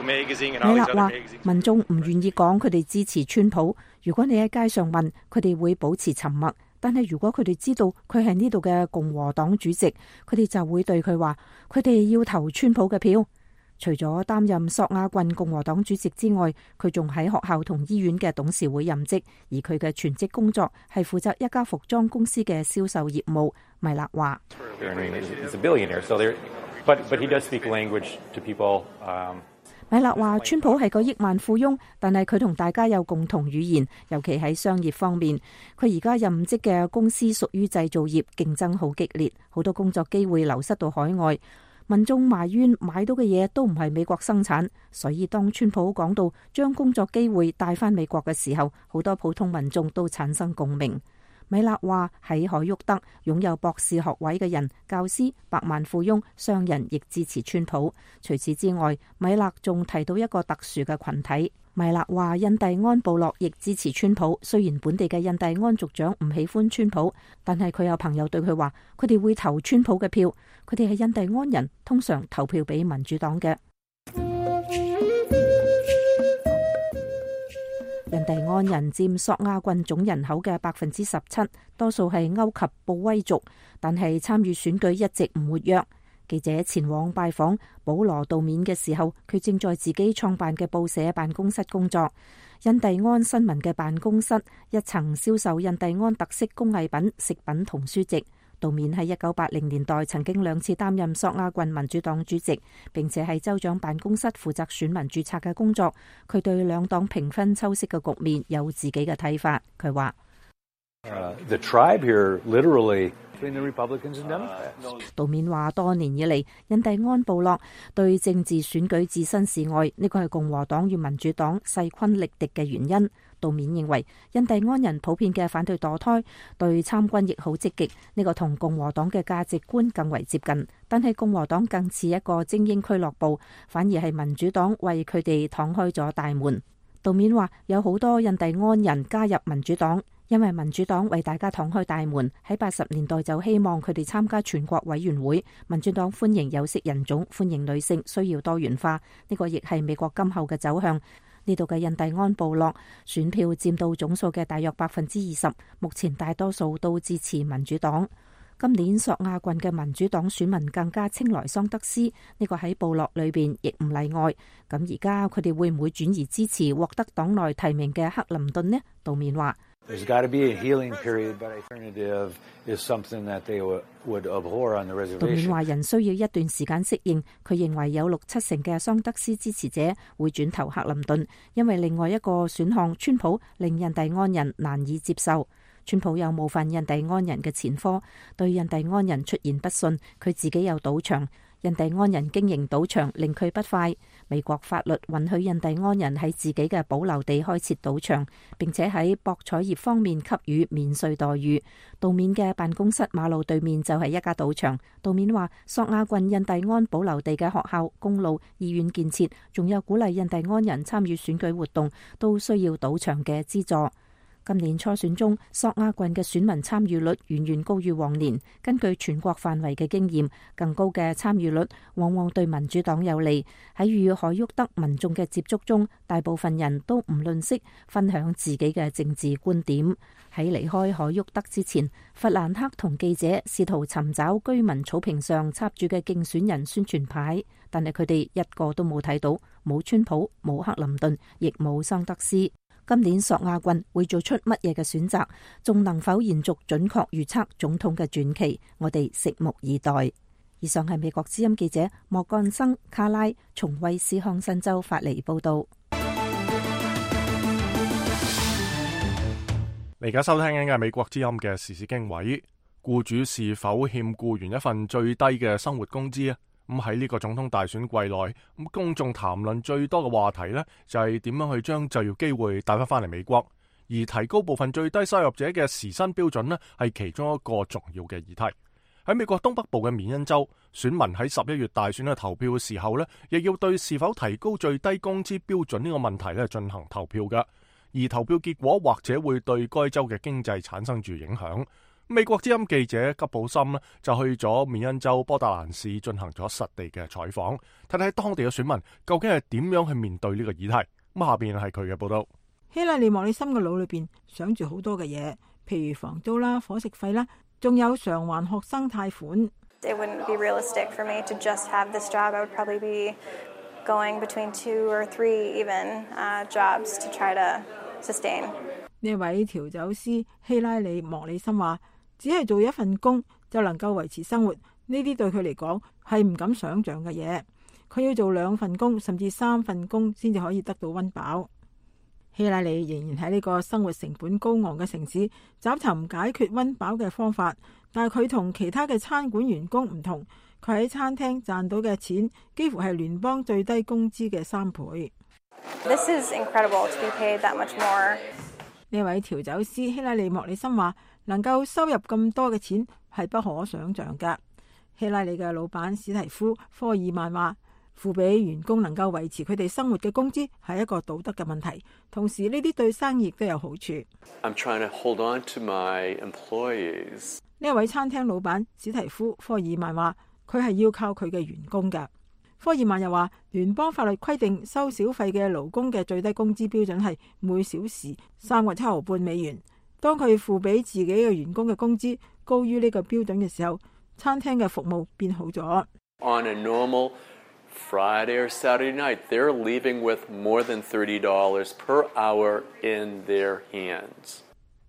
米勒話：民眾唔願意講佢哋支持川普。如果你喺街上問，佢哋會保持沉默。但係如果佢哋知道佢係呢度嘅共和黨主席，佢哋就會對佢話：佢哋要投川普嘅票。除咗擔任索亞郡共和黨主席之外，佢仲喺學校同醫院嘅董事會任職，而佢嘅全職工作係負責一家服裝公司嘅銷售業務。米勒話。米勒話：川普係個億萬富翁，但係佢同大家有共同語言，尤其喺商業方面。佢而家任職嘅公司屬於製造業，競爭好激烈，好多工作機會流失到海外。民眾埋怨買到嘅嘢都唔係美國生產，所以當川普講到將工作機會帶返美國嘅時候，好多普通民眾都產生共鳴。米勒話：喺海沃德擁有博士學位嘅人、教師、百萬富翁、商人亦支持川普。除此之外，米勒仲提到一個特殊嘅群體。米勒話：印第安部落亦支持川普。雖然本地嘅印第安族長唔喜歡川普，但係佢有朋友對佢話：佢哋會投川普嘅票。佢哋係印第安人，通常投票俾民主黨嘅。印第安人佔索亞郡總人口嘅百分之十七，多數係歐及布威族，但係參與選舉一直唔活躍。記者前往拜訪保羅道面嘅時候，佢正在自己創辦嘅報社辦公室工作。印第安新聞嘅辦公室一層銷售印第安特色工藝品、食品同書籍。道面喺一九八零年代曾經兩次擔任索亞郡民主黨主席，並且喺州長辦公室負責選民註冊嘅工作。佢對兩黨平分秋色嘅局面有自己嘅睇法。佢話Uh, the tribe here literally between the Republicans and Democrats. 道面話多年以嚟，印第安部落對政治選舉置身事外，呢個係共和黨與民主黨勢均力敵嘅原因。道面認為，印第安人普遍嘅反對墮胎，對參軍亦好積極，呢個同共和黨嘅價值觀更為接近。但係共和黨更似一個精英俱樂部，反而係民主黨為佢哋敞開咗大門。道面話有好多印第安人加入民主黨。因為民主黨為大家敞開大門，喺八十年代就希望佢哋參加全國委員會。民主黨歡迎有色人種，歡迎女性，需要多元化。呢個亦係美國今後嘅走向。呢度嘅印第安部落選票佔到總數嘅大約百分之二十，目前大多數都支持民主黨。今年索亞郡嘅民主黨選民更加青睞桑德斯，呢個喺部落裏邊亦唔例外。咁而家佢哋會唔會轉移支持獲得黨內提名嘅克林頓呢？道面話。There's got to be a healing period, but alternative is something that they would, would abhor on the reservation. 道面話人需要一段時間適應，佢認為有六七成嘅桑德斯支持者會轉投克林頓，因為另外一個選項川普令印第安人難以接受。川普有冒犯印第安人嘅前科，對印第安人出言不遜，佢自己有賭場。印第安人經營賭場令佢不快。美國法律允許印第安人喺自己嘅保留地開設賭場，並且喺博彩業方面給予免稅待遇。杜面嘅辦公室馬路對面就係一家賭場。杜面話，索亞郡印第安保留地嘅學校、公路、醫院建設，仲有鼓勵印第安人參與選舉活動，都需要賭場嘅資助。今年初選中，索亞郡嘅選民參與率遠遠高於往年。根據全國範圍嘅經驗，更高嘅參與率往往對民主黨有利。喺與海沃德民眾嘅接觸中，大部分人都唔吝嗇分享自己嘅政治觀點。喺離開海沃德之前，弗蘭克同記者試圖尋找居民草坪上插住嘅競選人宣傳牌，但係佢哋一個都冇睇到，冇川普，冇克林頓，亦冇桑德斯。今年索亞郡會做出乜嘢嘅選擇，仲能否延續準確預測總統嘅傳奇？我哋拭目以待。以上係美國之音記者莫幹生卡拉從威斯康辛州發嚟報道。你而家收聽緊嘅係美國之音嘅時事經緯，僱主是否欠僱員一份最低嘅生活工資啊？咁喺呢個總統大選季內，咁公眾談論最多嘅話題呢，就係點樣去將就業機會帶翻翻嚟美國，而提高部分最低收入者嘅時薪標準呢，係其中一個重要嘅議題。喺美國東北部嘅緬因州，選民喺十一月大選嘅投票嘅時候呢，亦要對是否提高最低工資標準呢個問題呢進行投票㗎，而投票結果或者會對該州嘅經濟產生住影響。美國之音記者吉寶森呢就去咗緬因州波特蘭市進行咗實地嘅採訪，睇睇當地嘅選民究竟係點樣去面對呢個議題。咁下邊係佢嘅報道。希拉里莫里森嘅腦裏邊想住好多嘅嘢，譬如房租啦、伙食費啦，仲有償還學生貸款。It wouldn't be realistic for me to just have this job. I would probably be going between two or three even uh, jobs to try to sustain. 呢位調酒師希拉里莫里森話，只係做一份工就能夠維持生活，呢啲對佢嚟講係唔敢想象嘅嘢。佢要做兩份工甚至三份工先至可以得到溫飽。希拉里仍然喺呢個生活成本高昂嘅城市找尋解決溫飽嘅方法，但係佢同其他嘅餐館員工唔同，佢喺餐廳賺到嘅錢幾乎係聯邦最低工資嘅三倍。This is incredible to be paid that much more. 呢位調酒師希拉里莫里森話，能夠收入咁多嘅錢係不可想象㗎。希拉里嘅老闆史提夫科爾曼話，付俾員工能夠維持佢哋生活嘅工資係一個道德嘅問題，同時呢啲對生意亦都有好處。I'm trying to hold on to my employees. 呢位餐廳老闆史提夫科爾曼話，佢係要靠佢嘅員工㗎。科爾曼又話，聯邦法律規定收小費嘅勞工嘅最低工資標準係每小時三個七毫半美元。當佢付俾自己嘅員工嘅工資高於呢個標準嘅時候，餐廳嘅服務變好咗。On a normal Friday or Saturday night, they're leaving with more than thirty dollars per hour in their hands.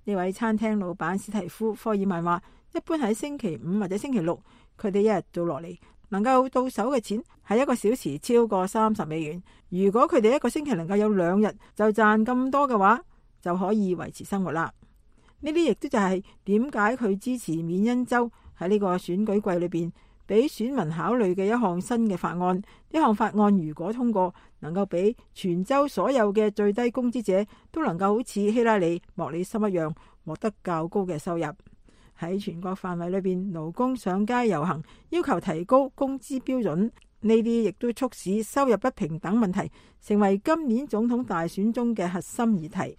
呢位餐廳老闆史提夫科爾曼話，一般喺星期五或者星期六，佢哋一日做落嚟，能夠到手嘅錢係一個小時超過三十美元。如果佢哋一個星期能夠有兩日就賺咁多嘅話，就可以維持生活啦。呢啲亦都就係點解佢支持緬因州喺呢個選舉季裏邊俾選民考慮嘅一項新嘅法案。呢項法案如果通過，能夠俾全州所有嘅最低工資者都能夠好似希拉里莫里森一樣獲得較高嘅收入。喺全國範圍裏邊，勞工上街遊行，要求提高工資標準。呢啲亦都促使收入不平等問題成為今年總統大選中嘅核心議題。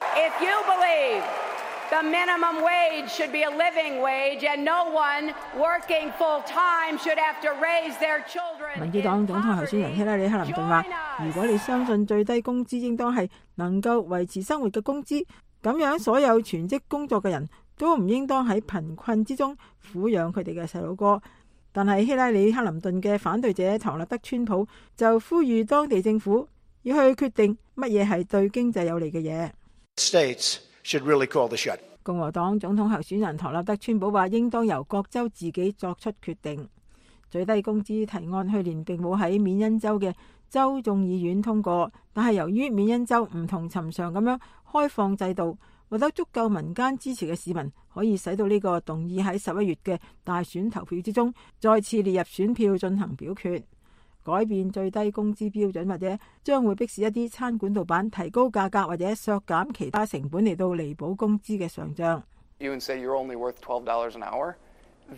If you believe the minimum wage should be a living wage and no one working full time should have to raise their children. 民主黨總統候選人希拉里克林頓話，如果你相信最低工資應當係能夠維持生活嘅工資，咁樣所有全職工作嘅人都唔應當喺貧困之中撫養佢哋嘅細路哥。但係希拉里克林頓嘅反對者唐納德川普就呼籲當地政府要去決定乜嘢係對經濟有利嘅嘢。States should really call the shot. 共和黨總統候選人唐納德川普話，應當由各州自己作出決定。最低工資提案去年並冇喺緬因州嘅州眾議院通過，但係由於緬因州唔同尋常咁樣開放制度，獲得足夠民間支持嘅市民，可以使到呢個動議喺十一月嘅大選投票之中再次列入選票進行表決。改變最低工資標準或者將會迫使一啲餐館老闆提高價格或者削減其他成本嚟到彌補工資嘅上漲。You can say you're only worth twelve dollars an hour.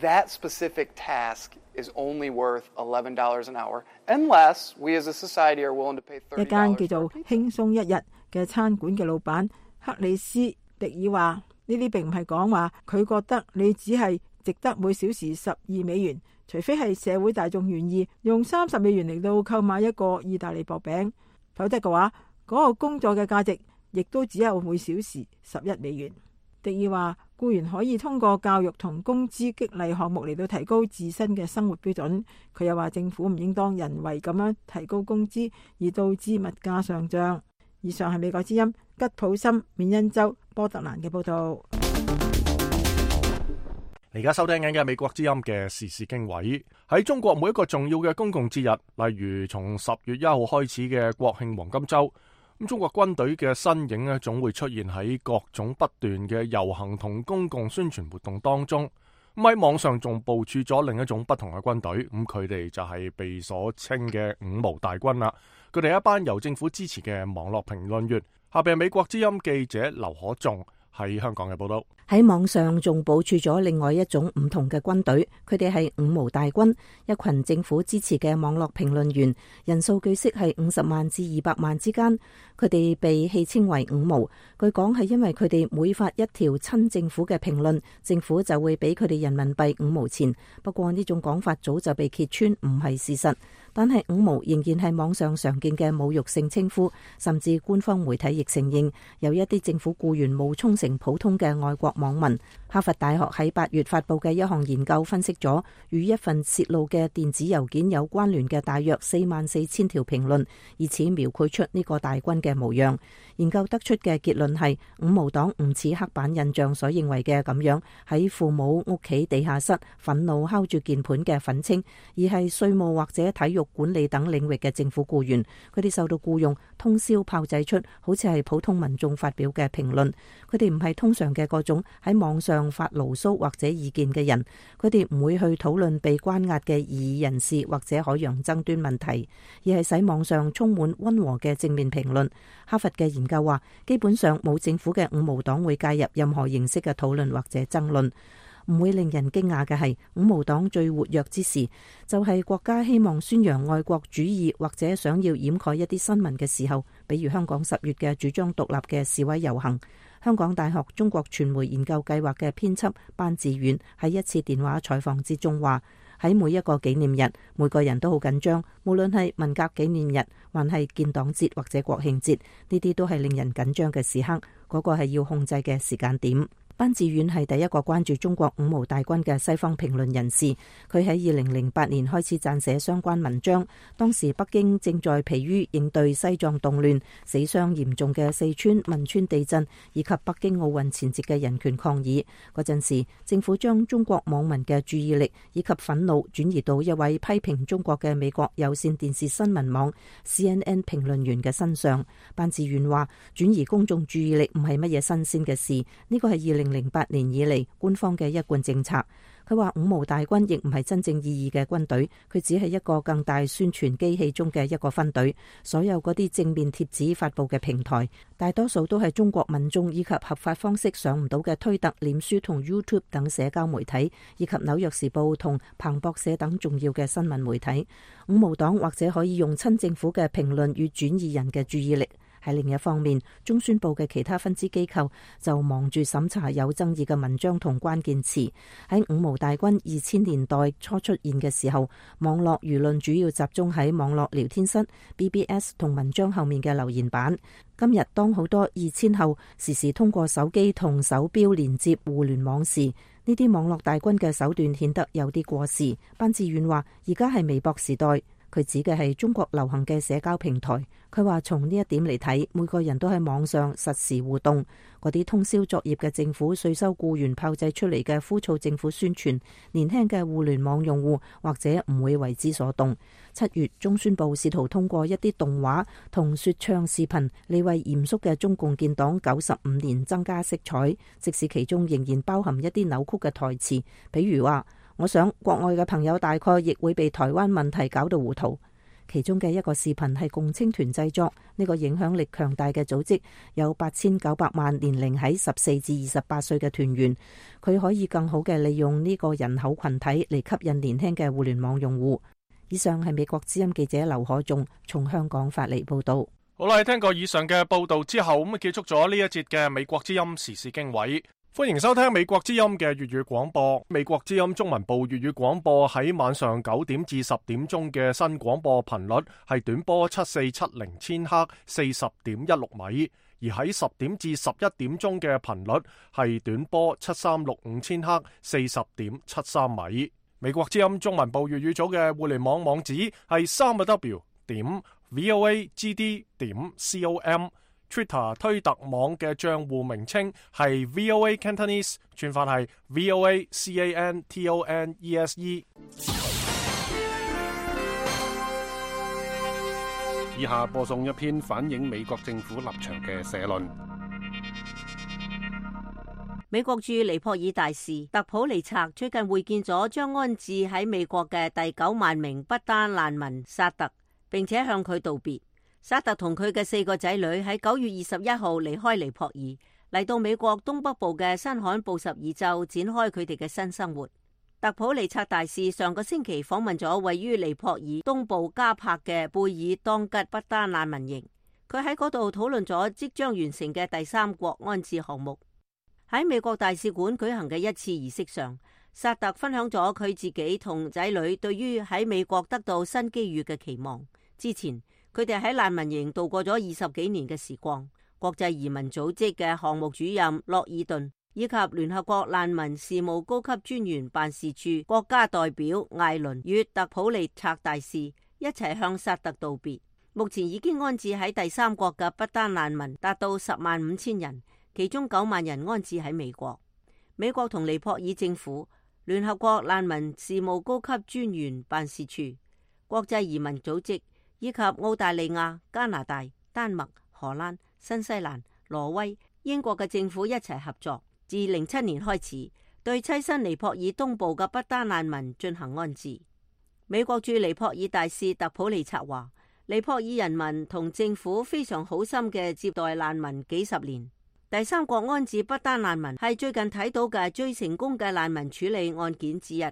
That specific task is only worth eleven dollars an hour, unless we as a society are willing to pay thirty dollars. 一間叫做輕鬆一日嘅餐館嘅老闆克里斯迪爾話：呢啲並唔係講話佢覺得你只係值得每小時十二美元，除非係社會大眾願意用三十美元嚟到購買一個意大利薄餅，否則嘅話，嗰、那個工作嘅價值亦都只有每小時十一美元。迪爾話：僱員可以通過教育同工資激勵項目嚟到提高自身嘅生活標準。佢又話政府唔應當人為咁樣提高工資，而導致物價上漲。以上係美國之音吉普森緬因州波特蘭嘅報道。而家收聽緊嘅美國之音嘅時事經緯，喺中國每一個重要嘅公共節日，例如從十月一號開始嘅國慶黃金週，咁中國軍隊嘅身影咧，總會出現喺各種不斷嘅遊行同公共宣傳活動當中。咁喺網上仲部署咗另一種不同嘅軍隊，咁佢哋就係被所稱嘅五毛大軍啦。佢哋係一班由政府支持嘅網絡評論員。下邊係美國之音記者劉可頌喺香港嘅報道。喺網上仲部署咗另外一種唔同嘅軍隊，佢哋係五毛大軍，一群政府支持嘅網絡評論員，人數據悉係五十萬至二百萬之間。佢哋被戲稱為五毛，據講係因為佢哋每發一條親政府嘅評論，政府就會俾佢哋人民幣五毛錢。不過呢種講法早就被揭穿唔係事實，但係五毛仍然係網上常見嘅侮辱性稱呼，甚至官方媒體亦承認有一啲政府僱員冒充成普通嘅外國網民。哈佛大學喺八月發佈嘅一項研究分析咗與一份泄露嘅電子郵件有關聯嘅大約四萬四千條評論，以此描繪出呢個大軍嘅模樣。研究得出嘅結論係，五毛黨唔似刻板印象所認為嘅咁樣喺父母屋企地下室憤怒敲住鍵盤嘅憤青，而係稅務或者體育管理等領域嘅政府僱員。佢哋受到僱用，通宵炮製出好似係普通民眾發表嘅評論。佢哋唔係通常嘅嗰種喺網上發牢騷或者意見嘅人，佢哋唔會去討論被關押嘅異議人士或者海洋爭端問題，而係使網上充滿溫和嘅正面評論。哈佛嘅研究話，基本上冇政府嘅五毛黨會介入任何形式嘅討論或者爭論。唔會令人驚訝嘅係，五毛黨最活躍之時，就係國家希望宣揚愛國主義或者想要掩蓋一啲新聞嘅時候，比如香港十月嘅主張獨立嘅示威遊行。香港大學中國傳媒研究計劃嘅編輯班志遠喺一次電話採訪之中話，喺每一個紀念日，每個人都好緊張，無論係文革紀念日，還係建黨節或者國慶節，呢啲都係令人緊張嘅時刻，嗰個係要控制嘅時間點。班志遠係第一個關注中國五毛大軍嘅西方評論人士，佢喺二零零八年開始撰寫相關文章。當時北京正在疲於應對西藏動亂、死傷嚴重嘅四川汶川地震以及北京奧運前夕嘅人權抗議。嗰陣時，政府將中國網民嘅注意力以及憤怒轉移到一位批評中國嘅美國有線電視新聞網 C N N 評論員嘅身上。班志遠話：轉移公眾注意力唔係乜嘢新鮮嘅事，呢個係二零零八年以嚟官方嘅一貫政策。佢話五毛大軍亦唔係真正意義嘅軍隊，佢只係一個更大宣傳機器中嘅一個分隊。所有嗰啲正面貼紙發佈嘅平台，大多數都係中國民眾以及合法方式上唔到嘅推特、臉書同 YouTube 等社交媒體，以及紐約時報同彭博社等重要嘅新聞媒體。五毛黨或者可以用親政府嘅評論與轉移人嘅注意力。喺另一方面，中宣部嘅其他分支機構就忙住審查有爭議嘅文章同關鍵詞。喺五毛大軍二千年代初出現嘅時候，網絡輿論主要集中喺網絡聊天室、B B S 同文章後面嘅留言板。今日當好多二千後時時通過手機同手錶連接互聯網時，呢啲網絡大軍嘅手段顯得有啲過時。班志遠話：而家係微博時代。佢指嘅係中國流行嘅社交平台，佢話從呢一點嚟睇，每個人都喺網上實時互動。嗰啲通宵作業嘅政府稅收僱員炮製出嚟嘅枯燥政府宣傳，年輕嘅互聯網用戶或者唔會為之所動。七月中宣部試圖通過一啲動畫同說唱視頻嚟為嚴肅嘅中共建黨九十五年增加色彩，即使其中仍然包含一啲扭曲嘅台詞，比如話我想國外嘅朋友大概亦會被台灣問題搞到糊塗。其中嘅一個視頻係共青團製作，呢個影響力強大嘅組織有八千九百萬年齡喺十四至二十八歲嘅團員，佢可以更好嘅利用呢個人口群體嚟吸引年輕嘅互聯網用戶。以上係美國之音記者劉可仲從香港發嚟報道。好啦，聽過以上嘅報道之後，咁啊結束咗呢一節嘅美國之音時事經緯。歡迎收聽美國之音嘅粵語廣播。美國之音中文部粵語廣播喺晚上九點至十點鐘嘅新廣播頻率係短波七四七零千赫四十點一六米，而喺十點至十一點鐘嘅頻率係短波七三六五千赫四十點七三米。美國之音中文部粵語組嘅互聯網網址係三個 W 點 V O A G D 點 com。Twitter 推特網嘅賬戶名稱係 V O A Cantonese， 串法係 V O A C A N T O N E S E。 以下播送一篇反映美國政府立場嘅社論。美國駐尼泊爾大使特普利策最近會見咗將安置喺美國嘅第九萬名不丹難民薩特，並且向佢道別。薩特同佢嘅四個仔女喺九月二十一號離開尼泊爾，嚟到美國東北部嘅新罕布什爾州展開佢哋嘅新生活。特普利策大使上個星期訪問咗位於尼泊爾東部加柏嘅貝爾當吉不丹難民營，佢喺嗰度討論咗即將完成嘅第三國安置項目。喺美國大使館舉行嘅一次儀式上，薩特分享咗佢自己同仔女對於喺美國得到新機遇嘅期望。之前佢哋喺難民營度過咗二十幾年嘅時光。國際移民組織嘅項目主任洛爾頓以及聯合國難民事務高級專員辦事處國家代表艾倫與特普利策大使一齊向薩特道別。目前已經安置喺第三國嘅不丹難民達到十萬五千人，其中九萬人安置喺美國。美國同尼泊爾政府、聯合國難民事務高級專員辦事處、國際移民組織以及澳大利亞、加拿大、丹麥、荷蘭、新西蘭、挪威、英國嘅政府一齊合作，自零七年開始對棲身尼泊爾東部嘅不丹難民進行安置。美國駐尼泊爾大使特普利策話，尼泊爾人民同政府非常好心嘅接待難民幾十年。第三國安置不丹難民係最近睇到嘅最成功嘅難民處理案件之一。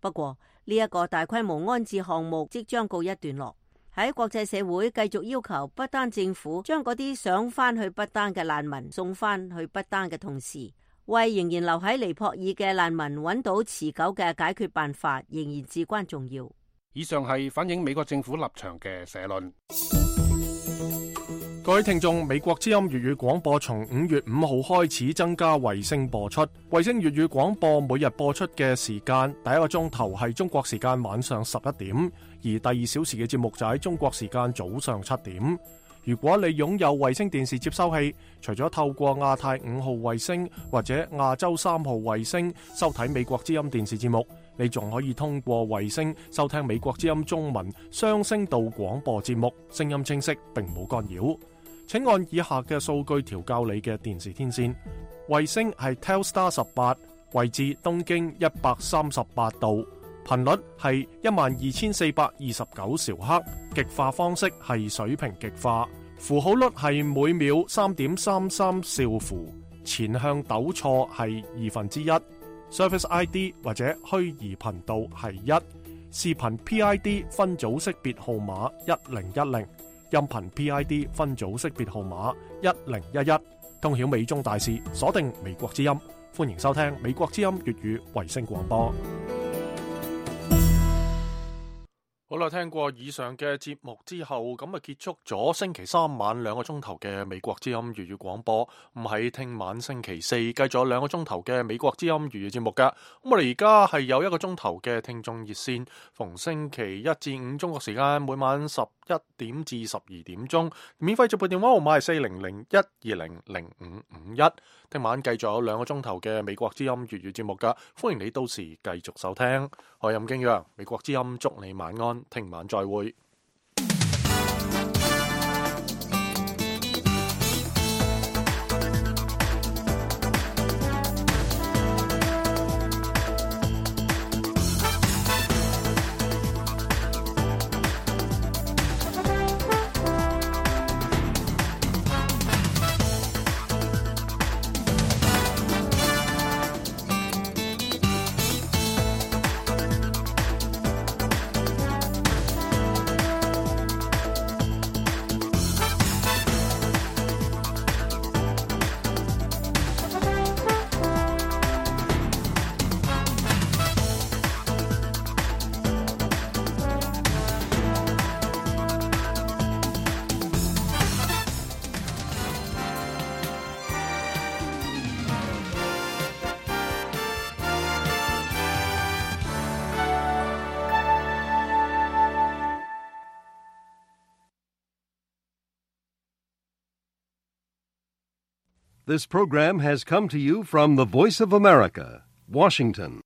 不過呢一個大規模安置項目即將告一段落。喺國際社會繼續要求不丹政府將嗰啲想翻去不丹嘅難民送翻去不丹嘅同時，為仍然留喺尼泊爾嘅難民揾到持久嘅解決辦法，仍然至關重要。以上係反映美國政府立場嘅社論。各位聽眾，美國之音粵語廣播從五月五號開始增加衛星播出。衛星粵語廣播每日播出嘅時間，第一個鐘頭係中國時間晚上十一點，而第二小時嘅節目就喺中國時間早上七點。如果你擁有衛星電視接收器，除咗透過亞太五號衛星或者亞洲三號衛星收睇美國之音電視節目，你仲可以通過衛星收聽美國之音中文雙聲道廣播節目，聲音清晰並冇干擾。請按以下嘅數據調校你嘅電視天線。衛星係 Telstar 十八，位置東經一百三十八度，頻率係一萬二千四百二十九兆赫，極化方式係水平極化，符號率係每秒三點三三兆符，前向抖錯係二分之一，Service I D 或者虛擬頻道係一，視頻 P I D 分組識別號碼一零一零。音頻 P I D 分組識別號碼一零一一，通曉美中大事，鎖定美國之音，歡迎收聽美國之音粵語衛星廣播。好啦，聽過以上嘅節目之後，咁啊結束咗星期三晚兩個鐘頭嘅美國之音粵語廣播。咁喺聽晚星期四繼續有兩個鐘頭嘅美國之音粵語節目噶。咁我哋而家係有一個鐘頭嘅聽眾熱線，逢星期一至五中國時間每晚十一點至十二點鐘，免費直播電話號碼係四零零一二零零五五一。聽晚繼續有兩個鐘頭嘅美國之音粵語節目噶，歡迎你到時繼續收聽。我係任敬揚，美國之音祝你晚安，聽晚再會。This program has come to you from the Voice of America, Washington.